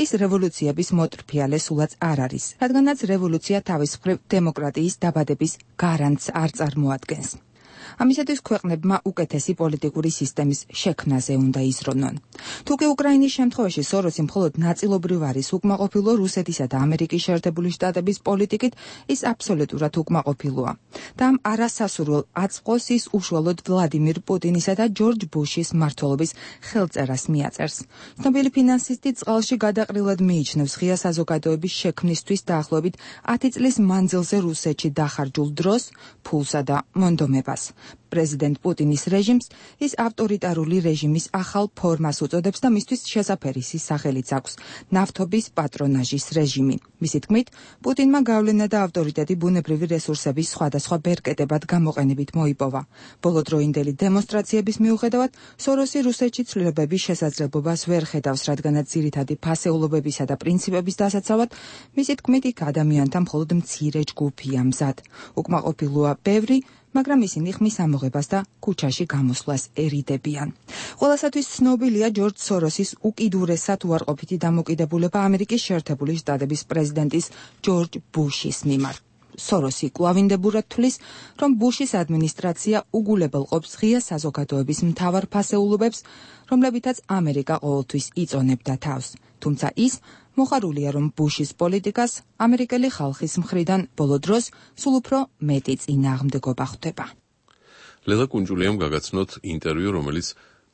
ის რევოლუციების მოტრფიალე სულაც არ არის, რადგანაც რევოლუცია თავის მხრივ დემოკრატიის დაბადების გარანტს არ წარმოადგენს. ამისათვის ქვეყნებმა უკეთესი პოლიტიკური სისტემის შექმნაზე უნდა იზრუნონ. თუკი უკრაინის შემთხვევაში სოროსი მხოლოდ ნაწილობრივ არის უკმაყოფილო რუსეთისა და ამერიკის შეერთებული შტატების პოლიტიკით, ის აბსოლუტურად უკმაყოფილოა. და ამ არასასურველ აწმყოს ის უშუალოდ ვლადიმირ პუტინისა და ჯორჯ ბუშის მმართველობის ხელწერას მიაწერს. ცნობილი ფინანსისტი წყალში გადაყრილად მიიჩნევს ღია საზოგადოების შექმნისთვის დაახლოებით 10 წლის მანძილზე რუსეთში დახარჯულ დროს, ფულსა და მონდომებას. პრეზიდენტ პუტინის რეჟიმს ის ავტორიტარული რეჟიმის ახალ ფორმას უწოდებს და მისთვის შესაფერისი სახელიც აქვს ნავთობის პატრონაჟის რეჟიმი. მისი თქმით, პუტინმა გავლენა და ავტორიტეტი ბუნებრივი რესურსების სხვადასხვა ბერკეტებად გამოყენებით მოიპოვა. ბოლოდროინდელი დემონსტრაციების მიუხედავად, სოროსი რუსეთში ცვლილებების შესაძლებლობას ვერ ხედავს, რადგანაც ძირითადი ფასეულობებისა და პრინციპების დასაცავად, მისი თქმით, იქ ადამიანთა მხოლოდ მცირე ჯგუფია მზად. უკმაყოფილოა ბევრი, მაგრამ ისინი ხმის ამოღებას და ქუჩაში გამოსვლას ერიდებიან. ყველასათვის ცნობილია ჯორჯ სოროსის უკიდურესად უარყოფითი დამოკიდებულება ამერიკის შეერთებული შტატების პრეზიდენტის ჯორჯ ბუშის მიმართ. სოროსი კვლავინდებურად თვლის, რომ ბუშის ადმინისტრაცია უგულებელ ყოფს ღია საზოგადოების მთავარ ფასეულობებს, რომლებითაც ამერიკა ყოველთვის იწონებდა თავს. თუმცა ის მოხარულია, რომ ბუშის პოლიტიკას ამერიკელი ხალხის მხრიდან ბოლო დროს სულ უფრო მეტი წინააღმდეგობა ხვდება. ლელა კუნჯულიამ გაგაცნოთ ინტერვიუ, რომელიც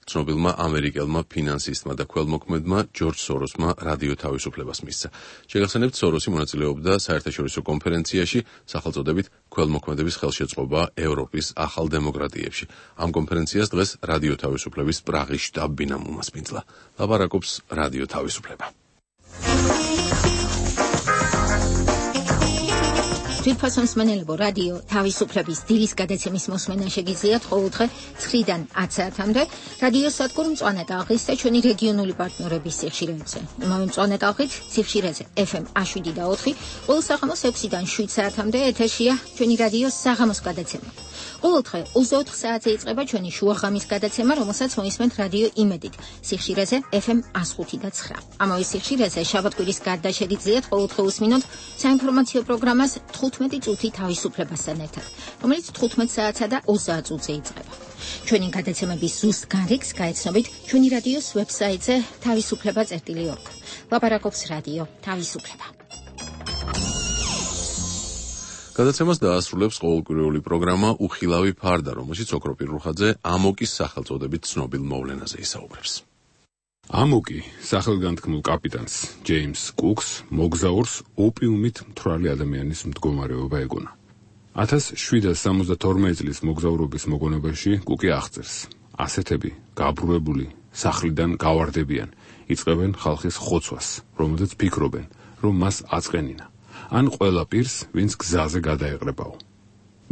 ცნობილმა ამერიკელმა ფინანსისტმა და ქველმოქმედმა ჯორჯ სოროსმა რადიო თავისუფლებას მისცა. შეგახსენებთ, სოროსი მონაწილეობდა საერთაშორისო კონფერენციაში სახელწოდებით ქველმოქმედების ხელშეწყობა ევროპის ახალ დემოკრატიებში. ამ კონფერენციას დღეს რადიო თავისუფლების პრაღის შტაბ-ბინა უმასპინძლა. ლაპარაკობს რადიო თავისუფლება. თვითფასო მსმენელებო, რადიო თავისუფლების დილის გადაცემის მოსმენა შეგიძლიათ ყოველდღე 9-დან 10 საათამდე რადიო სადგურ მწვანე ტალღის და ჩვენი რეგიონული პარტნიორების სიხშირეებზე. იმავე მწვანე ტალღით სიხშირეზე FM 7 და 4, ყოველ საღამოს 6-დან 7 საათამდე ეთერშია ჩვენი რადიოს საღამოს გადაცემა. ყოველდღე 24 საათზე იწყება ჩვენი შუაღამის გადაცემა, რომელსაც მოისმენთ რადიო იმედით სიხშირეზე FM 105 და 9. ამავე სიხშირეზე შაბათ-კვირის გარდა შეგიძლიათ ყოველდღე უსმინოთ საინფორმაციო პროგრამას 15 წუთი თავისუფლებასთან ერთად, რომელიც 15 საათსა და 20 წუთზე იწყება. ჩვენი გადაცემების ზუსტ განრიგს გაეცნობით ჩვენი რადიოს ვებსაიტზე თავისუფლება.org. ლაპარაკობს რადიო თავისუფლება. გადაცემას დაასრულებს ყოველკვირეული პროგრამა უხილავი ფარდა, რომელშიც ოქრო პირუხაძე ამოკის სახელწოდებით ცნობილ მოვლენაზე ისაუბრებს. ამოკი სახელგანთქმულ კაპიტანს ჯეიმს კუკს მოგზაურს ოპიუმით მთვრალი ადამიანის მდგომარეობა ეგონა. 1772 წლის მოგზაურობის მოგონებაში კუკი აღწერს: ასეთები გაბრუებული სახლიდან გავარდებიან, იწყებენ ხალხის ხოცვას, რომელზეც ფიქრობენ, რომ მას აწყენინა, ან ყველა პირს, ვინც გზაზე გადაეყრებაო.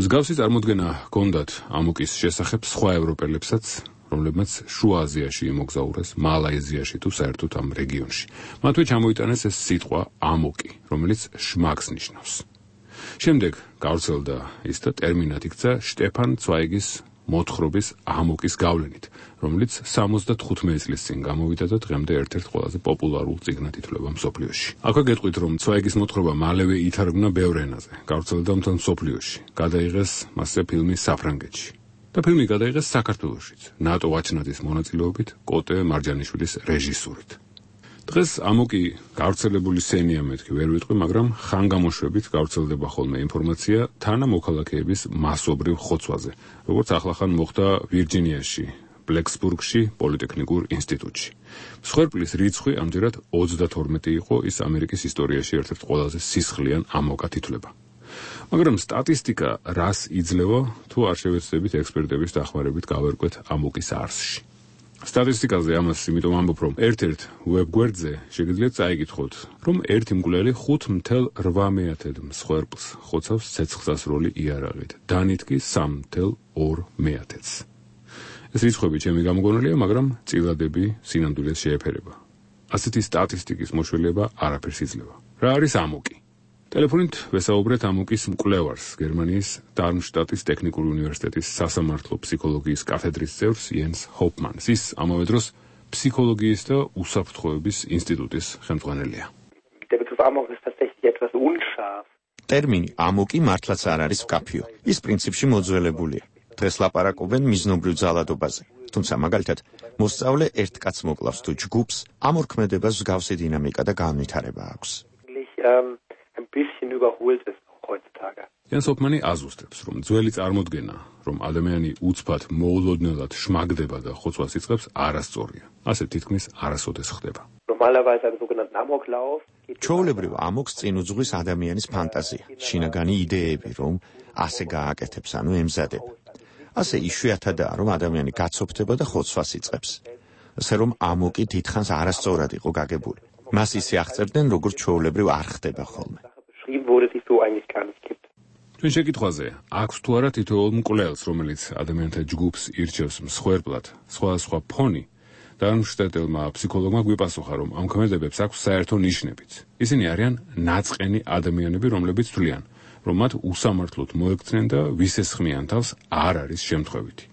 მსგავსი წარმოდგენა ჰქონდათ ამოკის შესახებ სხვა ევროპელებსაც, რომლებმაც შუა აზიაში იმოგზაურეს, მალაიზიაში თუ საერთოდ ამ რეგიონში. მათვე ჩამოიტანეს ეს სიტყვა ამოკი, რომელიც შმაგს ნიშნავს. შემდეგ გავრცელდა ის და ტერმინად იქცა შტეფან ცვაიგის მოთხრობის ამოკის გავლენით, რომელიც 75 წლის წინ გამოვიდა და დღემდე ერთ-ერთ ყველაზე პოპულარულ წიგნად ითვლება მსოფლიოში. აქვე გეტყვით, რომ ცვაიგის მოთხრობა მალევე ითარგმნა ბევრ ენაზე, გავრცელდა მთელ მსოფლიოში, გადაიღეს მასზე ფილმი საფრანგეთში. და ფილმი გადაიღეს საქართველოშიც, ნატო ვაჩნაძის მონაწილეობით, კოტე მარჯანიშვილის რეჟისურით. დღეს ამოკი გავრცელებული სენია მეთქი ვერ ვიტყვი, მაგრამ ხანგამოშვებით გავრცელდება ხოლმე ინფორმაცია თანამოქალაქეების მასობრივ ხოცვაზე, როგორც ახლახან მოხდა ვირჯინიაში, ბლექსბურგში, პოლიტექნიკურ ინსტიტუტში. მსხვერპლის რიცხვი ამჯერად 32 იყო, ის ამერიკის ისტორიაში ერთ-ერთ ყველაზე სისხლიან ამოკად ითვლება. მაგრამ სტატისტიკა რას იძლევა, თუ არ შევეცდებით ექსპერტების დახმარებით გავერკვეთ ამოკის არსში. სტატისტიკაზე ამას იმიტომ ამბობ, რომ ერთ-ერთ ვებგვერდზე შეგიძლიათ წაიკითხოთ, რომ ერთი მკვლელი 5.8 მსხვერპლს ხოცავს ცეცხლსასროლი იარაღით, დანით კი 3.2-ს. ეს რიცხვები ჩემი გამოგონილია, მაგრამ წილადები სინამდვილეს შეეფერება. ასეთი სტატისტიკის მოშველება არაფერს იძლევა. რა არის ამოკი? ტელეფონით ვესაუბრეთ ამოკის მკვლევარს, გერმანიის დარმშტატის ტექნიკური უნივერსიტეტის სასამართლო ფსიქოლოგიის კათედრის წევრს იენს ჰოპმანს. ის ამავე დროს ფსიქოლოგიის და უსაფრთხოების ინსტიტუტის ხელმძღვანელია. ტერმინი ამოკი მართლაც არ არის მკაფიო. ის პრინციპში მოძველებულია. დღეს ლაპარაკობენ მიზნობრივ ძალადობაზე. თუმცა მაგალითად, მოსწავლე ერთ კაცს მოკლავს თუ ჯგუფს, ამ ორქმედებას მსგავსი დინამიკა და განვითარება აქვს. იენს ჰოპმანი აზუსტებს, რომ ძველი წარმოდგენა, რომ ადამიანი უცბად მოულოდნელად შმაგდება და ხოცვას იწყებს, არასწორია. ასე თითქმის არასოდეს ხდება. ჩვეულებრივ ამოკს წინ უძღვის ადამიანის ფანტაზია, შინაგანი იდეები, რომ ასე გააკეთებს, ანუ ემზადება. ასე იშვიათადაა, რომ ადამიანი გაცოფდება და ხოცვას იწყებს. ასე რომ ამოკი დიდხანს არასწორად იყო გაგებული. მას ისე აღწერდნენ, როგორც ჩვეულებრივ არ ხდება ხოლმე. ჩვენ შეკითხვაზე, აქვს თუ არა თითოეულ მკვლელს, რომელიც ადამიანთა ჯგუფს ირჩევს მსხვერპლად, სხვადასხვა ფონი, დარმშტატელმა ფსიქოლოგმა გვიპასუხა, რომ ამ ქმედებებს აქვს საერთო ნიშნებიც. ისინი არიან ნაწყენი ადამიანები, რომლებიც თვლიან, რომ მათ უსამართლოდ მოექცნენ და ვისესხმიან თავს არ არის შემთხვევითი.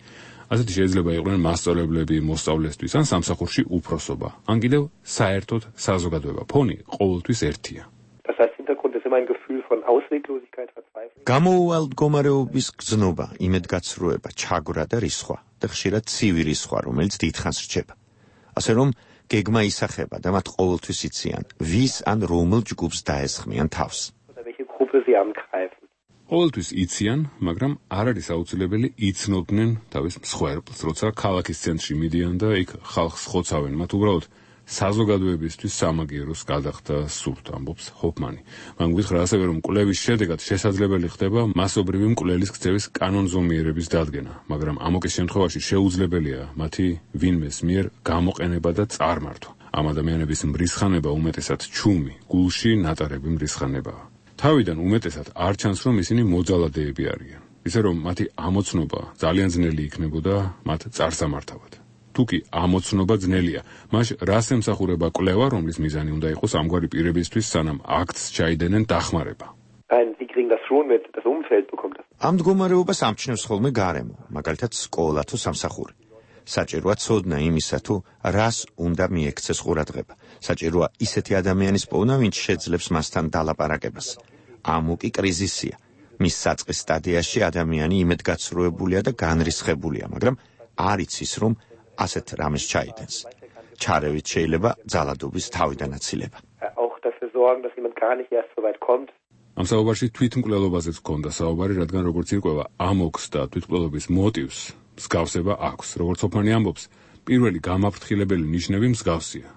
ასეთი შეიძლება იყვნენ მასწავლებლები მოსწავლესთვის ან სამსახურში უფროსობა, ან კიდევ საერთოდ საზოგადოება. ფონი ყოველთვის ერთია. გამოუვალ მდგომარეობის გზნობა, იმედგაცრუება, ჩაგვრა და რისხვა და ხშირად ცივი რისხვა, რომელიც დიდხანს რჩება. ასე რომ გეგმა ისახება და მათ ყოველთვის იციან, ვის ან რომელ ჯგუფს დაესხმიან თავს. ყოველთვის იციან, მაგრამ არ არის აუცილებელი იცნობდნენ თავის მსხვერპლს, როცა ქალაქის ცენტრში მიდიან და იქ ხალხს ხოცავენ, მათ უბრალოდ საზოგადოებისთვის სამაგიეროს გადახდა სურთ, ამბობს ჰოპმანი. მან გითხრა ასევე, რომ კვლევის შედეგად შესაძლებელი ხდება მასობრივი მკვლელის ქცევის კანონზომიერების დადგენა, მაგრამ ამოკის შემთხვევაში შეუძლებელია მათი ვინმეს მიერ გამოყენება და წარმართვა. ამ ადამიანების მრისხანება უმეტესად ჩუმი, გულში ნატარები მრისხანებაა. თავიდან უმეტესად არ ჩანს, რომ ისინი მოძალადეები არიან. ისე რომ მათი ამოცნობა ძალიან ძნელი იქნებოდა მათ წარსამართავად. თუკი ამოცნობა ძნელია, მაშ რას ემსახურება კვლევა, რომლის მიზანი უნდა იყოს ამგვარი პირებისთვის, სანამ აქტს ჩაიდენენ დახმარება. ამ მდგომარეობას ამჩნევს ხოლმე გარემო, მაგალითად სკოლა თუ სამსახური. საჭიროა ცოდნა იმისა, თუ რას უნდა მიექცეს ყურადღება. საჭიროა ისეთი ადამიანის პოვნა, ვინც შეძლებს მასთან დალაპარაკებას. ამოკი კრიზისია. მის საწყის სტადიაში ადამიანი იმედგაცრუებულია და განრისხებულია, მაგრამ არ იცის, რომ ასეთ რამეს ჩაიდენს. ჩარევით შეიძლება ძალადობის თავიდან აცილება. ამ საუბარში თვითმკვლელობაზეც ჰქონდა საუბარი, რადგან როგორც ირკვევა, ამოკს და თვითმკვლელობის მოტივს მსგავსება აქვს. როგორც ჰოპმანი ამბობს, პირველი გამაფრთხილებელი ნიშნები მსგავსია.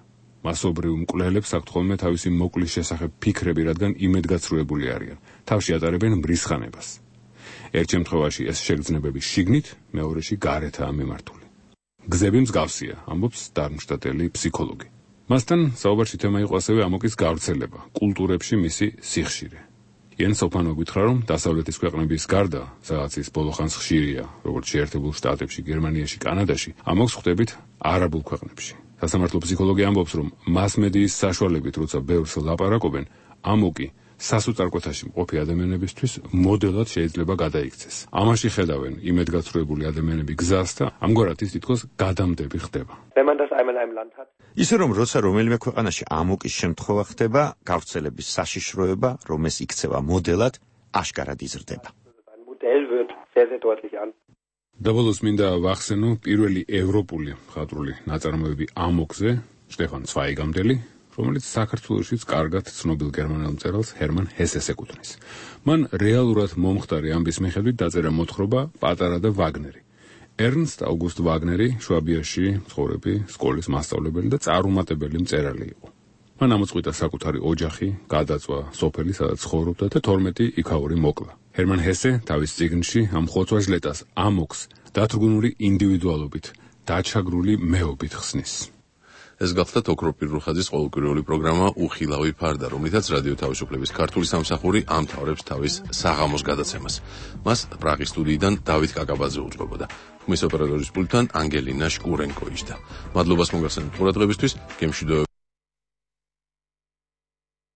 მასობრივ მკვლელებს აქვთ ხოლმე თავისი მოკლის შესახებ ფიქრები, რადგან იმედგაცრუებული არიან. თავში ატარებენ მრისხანებას. ერთ შემთხვევაში ეს შეგრძნებები შიგნით, მეორეში გარეთაა მიმართული. გზები მსგავსია, ამბობს დარმშტატელი ფსიქოლოგი. მასთან საუბარში თემა იყო ასევე ამოკის გავრცელება, კულტურებში მისი სიხშირე. იენს ჰოპმანი გითხრა, რომ დასავლეთის ქვეყნების გარდა, სადაც ის ბოლოხანს ხშირია, როგორც შეერთებულ შტატებში, გერმანიაში, კანადაში, ამოკს ხვდებით არაბულ ქვეყნებში. სასამართლო ფსიქოლოგი ამბობს, რომ მასმედიის საშუალებით, როცა ბევრს ლაპარაკობენ, ამოკი სასოწარკვეთაში მყოფი ადამიანებისთვის მოდელად შეიძლება გადაიქცეს. ამაში ხედავენ იმედგაცრუებული ადამიანები გზას და ამგვარად ის თითქოს გადამდები ხდება. ისე რომ როცა რომელიმე ქვეყანაში ამოკის შემთხვევა ხდება, გავრცელების საშიშროება, რომ ეს იქცევა მოდელად, აშკარად იზრდება. დაბოლოს მინდა ვახსენო პირველი ევროპული მხატვრული ნაწარმოები ამოკზე, შტეფან ცვაიგამდელი, რომელიც საქართველოშიც კარგად ცნობილ გერმანელ მწერალს ჰერმან ჰესეს ეკუთვნის. მან რეალურად მომხდარი ამბის მიხედვით დაწერა მოთხრობა პატარა და ვაგნერი. ერნსტ აუგუსტ ვაგნერი შვაბიაში მცხოვრები სკოლის მასწავლებელი და წარუმატებელი მწერალი იყო. მან ამოწყვიტა საკუთარი ოჯახი, გადაწვა სოფელი, სადაც ცხოვრობდა და 12 იქაური მოკლა. ჰერმან ჰესე თავის წიგნში ამ ხოცვა-ჟლეტას ამოკს დათრგუნული ინდივიდუალობით, დაჩაგრული მეობით ხსნის. ეს გახლდათ ოქროპირ რუხაძის ყოველკვირეული პროგრამა უხილავი ფარდა, რომლითაც რადიო თავისუფლების ქართული სამსახური ამთავრებს თავის საღამოს გადაცემას. მას პრაღის სტუდიიდან დავით კაკაბაძე უძღვებოდა. მის ოპერატორის პულტთან ანგელინა შკურენკო იჯდა. მადლობას მოგახსენებთ ყურადღებისთვის, გემშვიდობებით.